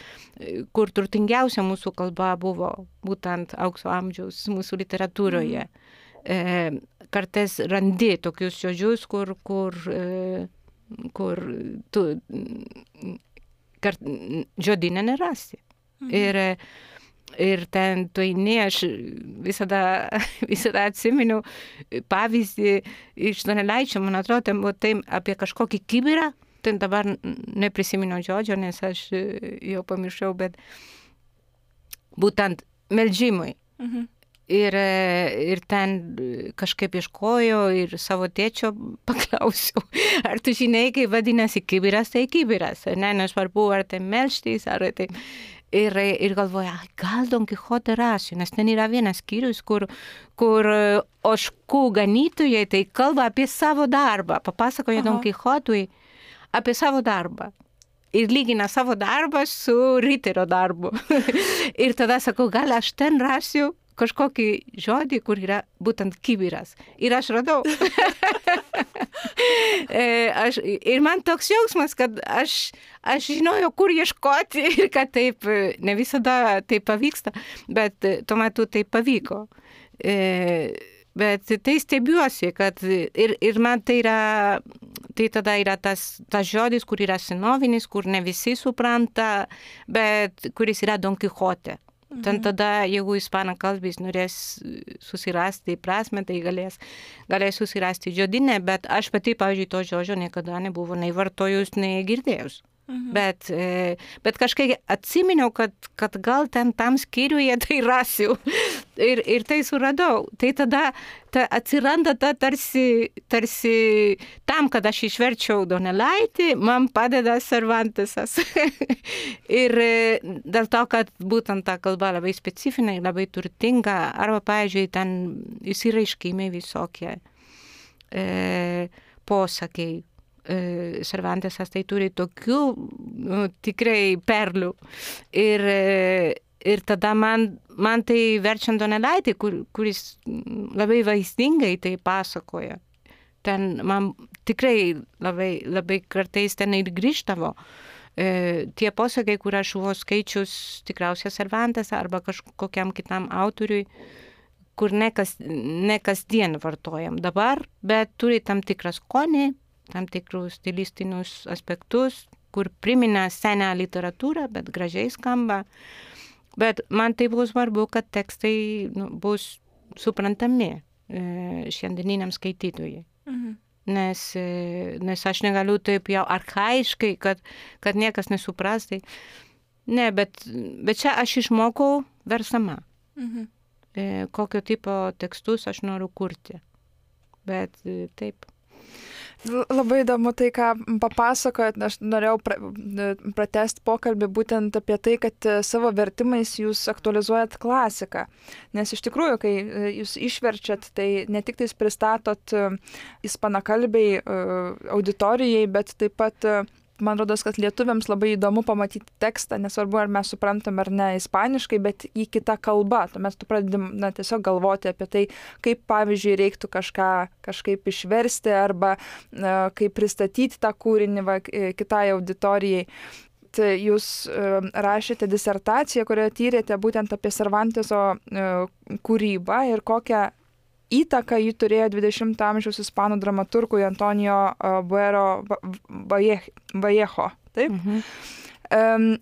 kur turtingiausia mūsų kalba buvo būtent aukso amžiaus mūsų literatūroje. Kartais randi tokius žodžius, kur kur tu žodyne nerasi. Ir ten tu eini, aš visada atsimenu pavyzdį iš Donelaičio, man atrodo, ten buvo tai apie kažkokį kibirą, ten dabar neprisimenu žodžio, nes aš jau pamiršau, bet būtent meldžimui. Ir ten kažkaip ieškojo ir savo tėčio paklausiau, ar tu žinai, kaip vadinasi kibiras, tai kibiras, ne, nesvarbu, ar tai melžtis, ar tai... Ir galvoja, gal Don Kichote rasiu, nes ten yra vienas skyrius, kur ožkų ganytojai tai kalba apie savo darbą, papasakoja Don Kichotui apie savo darbą. Ir lygina savo darbą su riterio darbu. Ir tada sakau, gal aš ten rasiu kažkokį žodį, kur yra būtent kibiras. Ir aš radau. Ir man toks jausmas, kad aš žinojau, kur ieškoti ir kad taip, ne visada taip pavyksta, bet tuo metu taip pavyko. Bet tai stebiuosi, kad ir man tai tada yra tas žodis, kur yra senovinis, kur ne visi supranta, bet kuris yra Don Kichote. Ten tada, jeigu ispanų kalbis norės susirasti prasme, tai galės susirasti žodinę, bet aš pati, pavyzdžiui, to žodžio niekada nebuvo nei vartojus, nei girdėjus. Bet kažkaip atsiminiau, kad gal ten tam skyriuje tai rasiu ir tai suradau. Tai tada atsiranda ta tarsi tam, kad aš išverčiau Donelaitį, man padeda Cervantesas. Ir dėl to, kad būtent ta kalba labai specifinė, labai turtinga, arba, pavyzdžiui, ten įsiraiškimai visokie posakiai. Cervantesas tai turi tokių tikrai perlių. Ir tada man tai verčiant Donelaitį, kuris labai vaizdingai tai pasakoja. Ten man tikrai labai kartais ten ir grįžtavo. Tie posakiai, kur aš buvau skaičius tikriausiai Cervantes arba kažkokiam kitam autoriui, kur ne kasdien vartojam dabar, bet turi tam tikrą skonį, tam tikrus stilistinius aspektus, kur primena senę literatūrą, bet gražiai skamba. Bet man tai buvo svarbu, kad tekstai bus suprantami šiandieniniam skaitytojui. Nes aš negaliu taip jau archaiškai, kad niekas nesupras. Tai... Ne, bet čia aš išmokau versama. Kokio tipo tekstus aš noriu kurti. Bet taip. Labai įdomu tai, ką papasakojat. Aš norėjau pratęsti pokalbį būtent apie tai, kad savo vertimais jūs aktualizuojat klasiką. Nes iš tikrųjų, kai jūs išverčiat, tai ne tik tais pristatot ispanakalbiai auditorijai, bet taip pat man rodos, kad lietuviams labai įdomu pamatyti tekstą, nesvarbu, ar mes suprantam ar ne ispaniškai, bet į kitą kalbą. Tuomet tu pradedi tiesiog galvoti apie tai, kaip, pavyzdžiui, reiktų kažkaip išversti arba kaip pristatyti tą kūrinį kitai auditorijai. Tai jūs rašėte disertaciją, kurioje tyrėte būtent apie Cervanteso kūrybą ir kokią įtaką jį turėjo 20 amžiaus ispanų dramaturgui Antonio Buero Vallejo. Taip?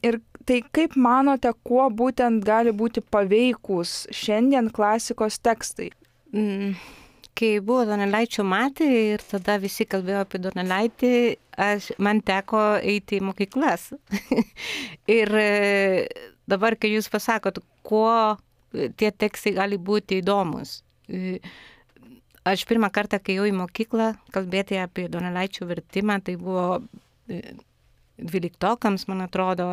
Ir tai kaip manote, kuo būtent gali būti paveikūs šiandien klasikos tekstai? Kai buvo Donelaičio metai ir tada visi kalbėjo apie Donelaitį, man teko eiti į mokyklas. Ir dabar, kai jūs pasakot, kuo tie tekstai gali būti įdomus. Aš pirmą kartą, kai jau į mokyklą kalbėti apie Donelaičio vertimą, tai buvo 12-okams, man atrodo,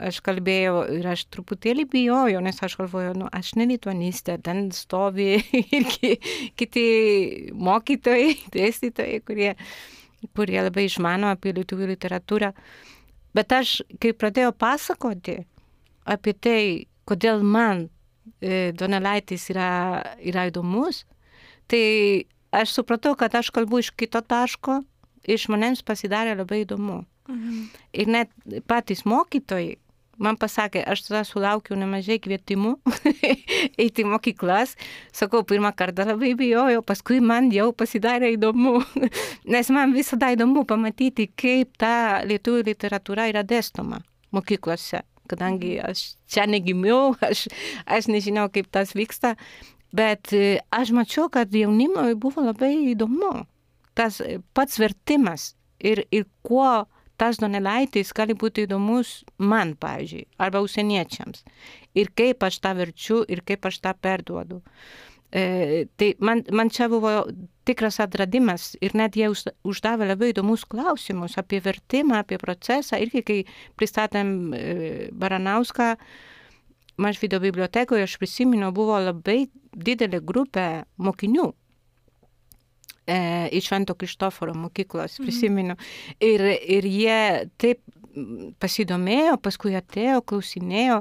aš kalbėjau ir aš truputėlį bijojau, nes aš galvojau, aš ne lituanistė, ten stovi ir kiti mokytojai, dėstytojai, kurie labai išmano apie lietuvių literatūrą. Bet aš, kai pradėjau pasakoti apie tai, kodėl man Donelaitis yra įdomus, tai aš supratau, kad aš kalbu iš kito taško ir žmonėms pasidarė labai įdomu. Ir net patys mokytojai man pasakė, aš tada sulaukiau nemažai kvietimų eiti į mokyklas. Sakau, pirmą kartą labai bijojau, paskui man jau pasidarė įdomu, nes man visada įdomu pamatyti, kaip ta lietuvių literatūra yra dėstoma mokyklose. Kadangi aš čia negimiau, aš nežinau, kaip tas vyksta, bet aš mačiau, kad jaunimui buvo labai įdomu. Tas pats vertimas ir kuo tas Donelaitis gali būti įdomus man, pavyzdžiui, arba užsieniečiams. Ir kaip aš tą verčiu, ir kaip aš tą perduodu. Tai man čia buvo tikras atradimas ir net jie uždavė labai įdomus klausimus apie vertimą, apie procesą. Irgi, kai pristatėm Baranauską, Mažvydo bibliotekoje, aš prisimenu, buvo labai didelė grupė mokinių iš Švento Kristoforo mokyklos, prisimenu. Ir jie taip pasidomėjo, paskui atėjo, klausinėjo.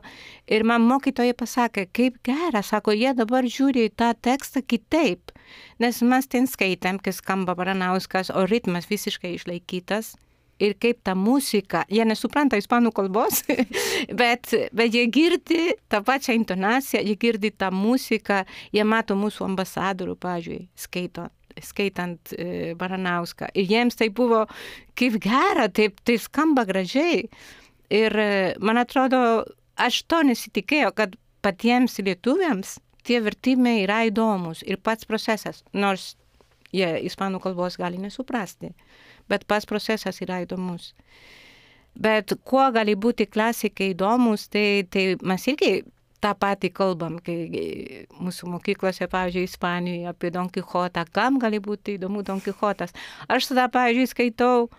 Ir man mokytojai pasakė, kaip gera, sako, jie dabar žiūri tą tekstą kitaip. Nes mes ten skaitėm, kai skamba Baranauskas, o ritmas visiškai išlaikytas. Ir kaip ta muzika, jie nesupranta ispanų kalbos, bet jie girdi tą pačią intonaciją, jie girdi tą muziką, jie mato mūsų ambasadorių, pavyzdžiui, skaitant Baranauską. Ir jiems tai buvo kaip gera, tai skamba gražiai. Ir man atrodo, aš to nesitikėjau, kad patiems lietuviams tie vertimai yra įdomus ir pats procesas, nors jie ispanų kalbos gali nesuprasti, bet pats procesas yra įdomus. Bet kuo gali būti klasikai įdomus, tai mes irgi tą patį kalbam, kai mūsų mokyklose, pavyzdžiui, Ispanijoje apie Don Kichotą. Kam gali būti įdomu Don Kichotas? Aš tada, pavyzdžiui, skaitau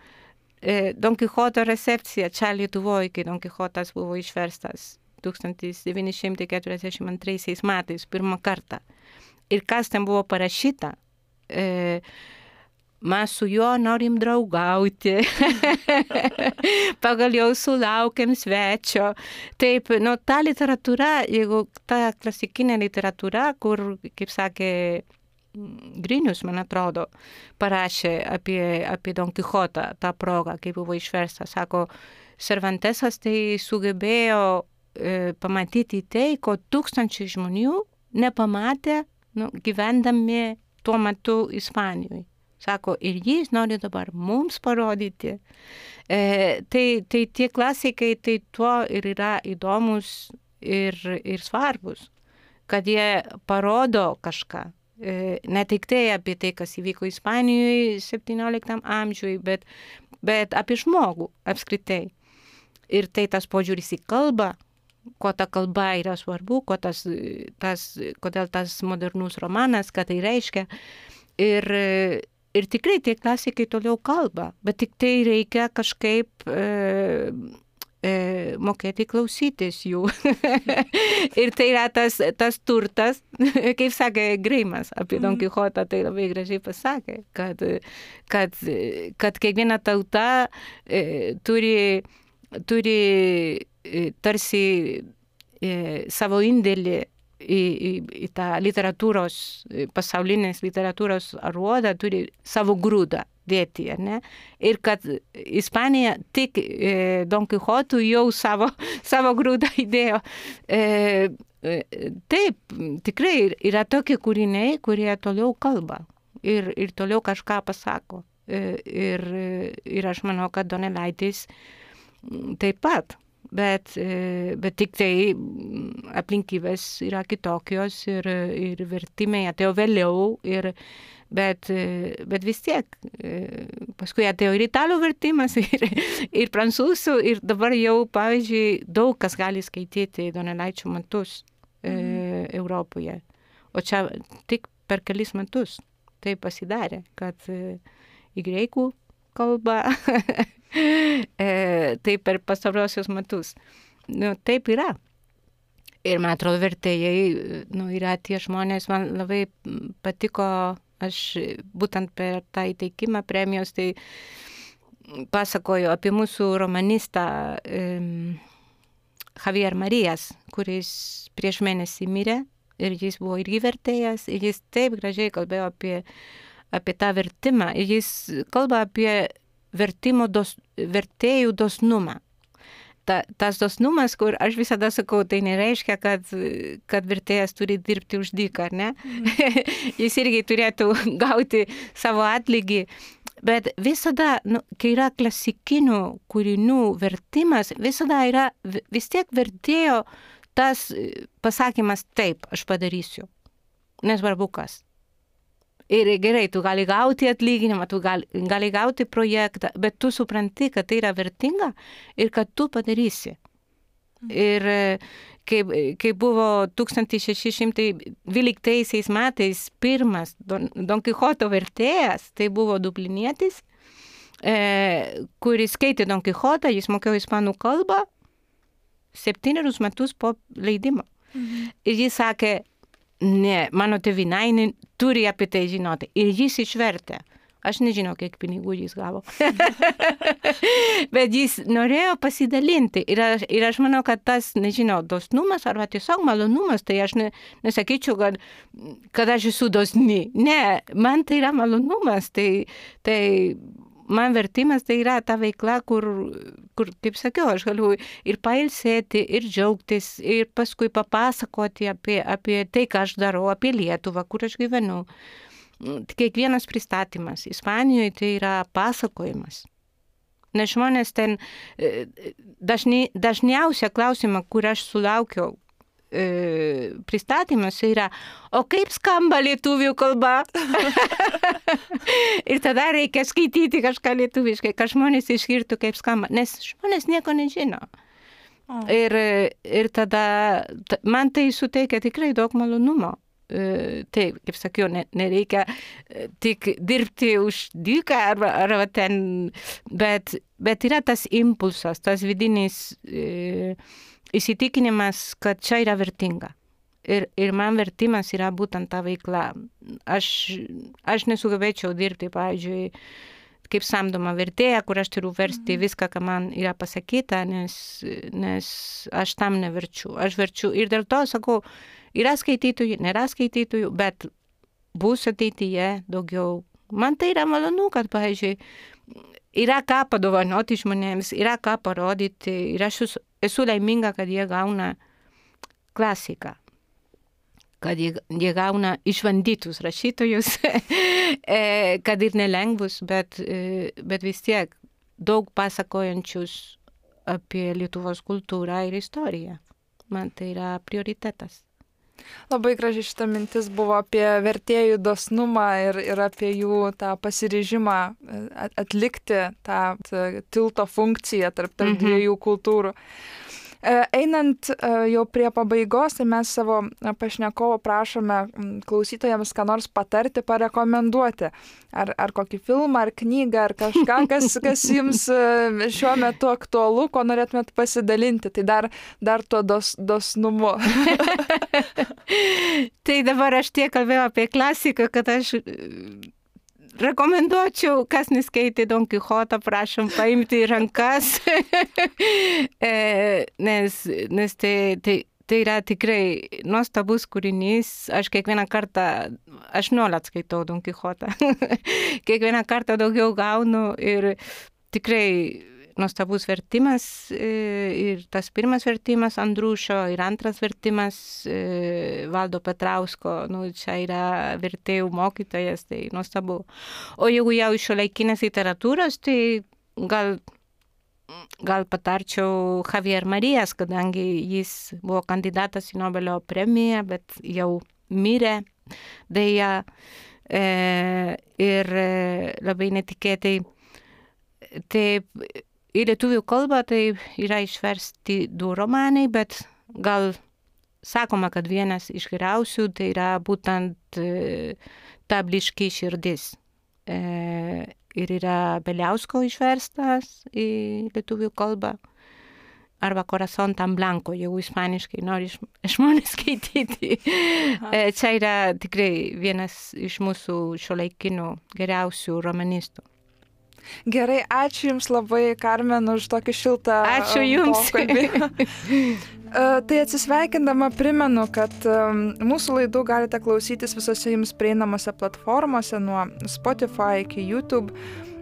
Don Kichoto recepciją čia Lietuvoje, kai Don Kichotas buvo išverstas 1942 metais pirmą kartą. Ir kas ten buvo parašyta? Mes su juo norim draugauti, pagaliau sulaukėm svečio. Taip, ta literatūra, jeigu ta klasikinė literatūra, kur, kaip sakė Grinius, man atrodo, parašė apie Don Kichotą tą progą, kai buvo išverstas, sako, Cervantesas tai sugebėjo pamatyti tai, ko tūkstančiai žmonių nepamatė gyvendami tuo metu Ispanijoje. Sako, ir jis nori dabar mums parodyti. Tai tie klasikai, tai tuo ir yra įdomus ir svarbus, kad jie parodo kažką. Ne tik tai apie tai, kas įvyko Ispanijoje 17 amžiuje, bet apie žmogų apskritai. Ir tai tas požiūris į kalbą, ko ta kalba yra svarbu, kodėl tas modernus romanas, ką tai reiškia. Ir tikrai tie klasikai toliau kalba, bet tik tai reikia kažkaip mokėti klausytis jų. Ir tai yra tas turtas, kaip sakė Greimas apie Don Kichotą, tai labai gražiai pasakė, kad kiekviena tauta turi tarsi savo indėlį į tą literatūros, pasaulinės literatūros aruodą, turi savo grūdą dėti, ne? Ir kad Ispanija tik Don Kichotų jau savo grūdą įdėjo. Taip, tikrai yra tokie kūriniai, kurie toliau kalba ir toliau kažką pasako. Ir aš manau, kad Donelaitis taip pat. Bet tik tai aplinkybės yra kitokios ir vertimai atėjo vėliau, bet vis tiek paskui atėjo ir italų vertimas, ir prancūzų, ir dabar jau, pavyzdžiui, daug kas gali skaityti Donelaičio metus Europoje. O čia tik per kelis metus tai pasidarė, kad į graikų kalbą taip per pastarosius metus. Taip yra. Ir man atrodo, vertėjai yra tie žmonės, man labai patiko, aš būtent per tą įteikimą premijos, tai pasakoju apie mūsų romanistą Javier Marijas, kuris prieš mėnesį mirė ir jis buvo irgi vertėjas ir jis taip gražiai kalbėjo apie tą vertimą ir jis kalba apie vertėjų dosnumą. tas dosnumas, kur aš visada sakau, tai nereiškia, kad vertėjas turi dirbti už dyką, ar ne? Jis irgi turėtų gauti savo atlygį. Bet visada, kai yra klasikinių kūrinių vertimas, visada yra vis tiek vertėjo tas pasakymas, taip, aš padarysiu. Nesvarbu kas. Ir gerai, tu gali gauti atlyginimą, tu gali gauti projektą, bet tu supranti, kad tai yra vertinga ir kad tu padarysi. Ir kai buvo 1612 metais pirmas Don Kichoto vertėjas, tai buvo dublinietis, kuris skaitė Don Kichotą, jis mokėjo ispanų kalbą 7 metus po leidimo. Ir jis sakė, ne, mano tėvynainiai turi apie tai žinoti. Ir jis išvertė. Aš nežinau, kiek pinigų jis gavo. Bet jis norėjo pasidalinti. Ir aš manau, kad tas, nežinau, dosnumas arba tiesiog malonumas, tai aš nesakyčiau, kad aš esu dosni. Ne, man tai yra malonumas. Tai man vertimas tai yra ta veikla, kur, kaip sakiau, aš galiu ir pailsėti, ir džiaugtis, ir paskui papasakoti apie tai, ką aš darau, apie Lietuvą, kur aš gyvenu. Kiekvienas pristatymas Ispanijoje tai yra pasakojimas. Nes žmonės ten dažniausia klausimą, kur aš sulaukiau pristatymas yra, o kaip skamba lietuvių kalba? Ir tada reikia skaityti kažką lietuviškai, kad žmonės išgirtų, kaip skamba, nes žmonės nieko nežino. Ir tada man tai suteikia tikrai daug malonumo. Taip, kaip sakiau, nereikia tik dirbti už dyką arba ten, bet yra tas impulsas, tas vidinis įsitikinimas, kad čia yra vertinga. Ir man vertimas yra būtent ta veikla. Aš nesugebėčiau dirbti, pavyzdžiui, kaip samdoma vertėja, kur aš turiu versti viską, ką man yra pasakyta, nes aš tam neverčiu. Aš verčiu ir dėl to sakau, yra skaitytojų, nėra skaitytojų, bet bus ateityje daugiau. Man tai yra malonu, kad, pavyzdžiui, yra ką padovanoti žmonėms, yra ką parodyti ir aš esu laiminga, kad jie gauna klasiką, kad jie gauna išbandytus rašytojus, kad ir nelengvus, bet vis tiek daug pasakojančius apie Lietuvos kultūrą ir istoriją. Man tai yra prioritetas. Labai graži šita mintis buvo apie vertėjų dosnumą ir apie jų tą pasiryžimą atlikti tą tilto funkciją tarp dviejų kultūrų. Einant jau prie pabaigos, tai mes savo pašnekovo prašome klausytojams ką nors patarti, parekomenduoti. Ar kokį filmą, ar knygą, ar kažką, kas jums šiuo metu aktualu, ko norėtumėt pasidalinti. Tai dar tuo dosnumu. Tai dabar aš tiek kalbėjau apie klasiką, kad aš rekomenduočiau, kas neskaitė Don Kichotą, prašom paimti į rankas, nes tai yra tikrai nuostabus kūrinys. Aš kiekvieną kartą, aš nuolat skaitau Don Kichotą, kiekvieną kartą daugiau gaunu ir tikrai nuostabus vertimas ir tas pirmas vertimas Andrušo ir antras vertimas Valdo Petrausko, čia yra vertėjų mokytojas, tai nuostabu. O jeigu jau iš šiuolaikinės literatūros, tai gal patarčiau Javier Marijas, kadangi jis buvo kandidatas į Nobelio premiją, bet jau mirė deja ir labai netikėtai. Taip, į lietuvių kalbą tai yra išversti 2 romanai, bet gal sakoma, kad vienas iš geriausių tai yra būtent Ta blyški širdis. Ir yra Beliausko išverstas į lietuvių kalbą. Arba Corazón tan blanco, jeigu ispaniškai nori žmonės skaityti. Čia yra tikrai vienas iš mūsų šiuolaikinių geriausių romanistų. Gerai, ačiū Jums labai, Karmen, už tokį šiltą pokalbį. Tai atsisveikindama primenu, kad mūsų laidų galite klausytis visose Jums prieinamose platformose, nuo Spotify iki YouTube.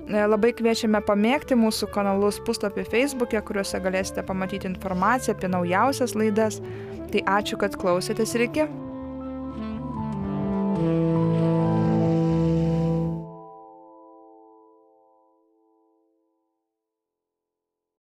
Labai kviečiame pamėgti mūsų kanalus puslapį Facebook'e, kuriuose galėsite pamatyti informaciją apie naujausias laidas. Tai ačiū, kad klausėtės ir iki.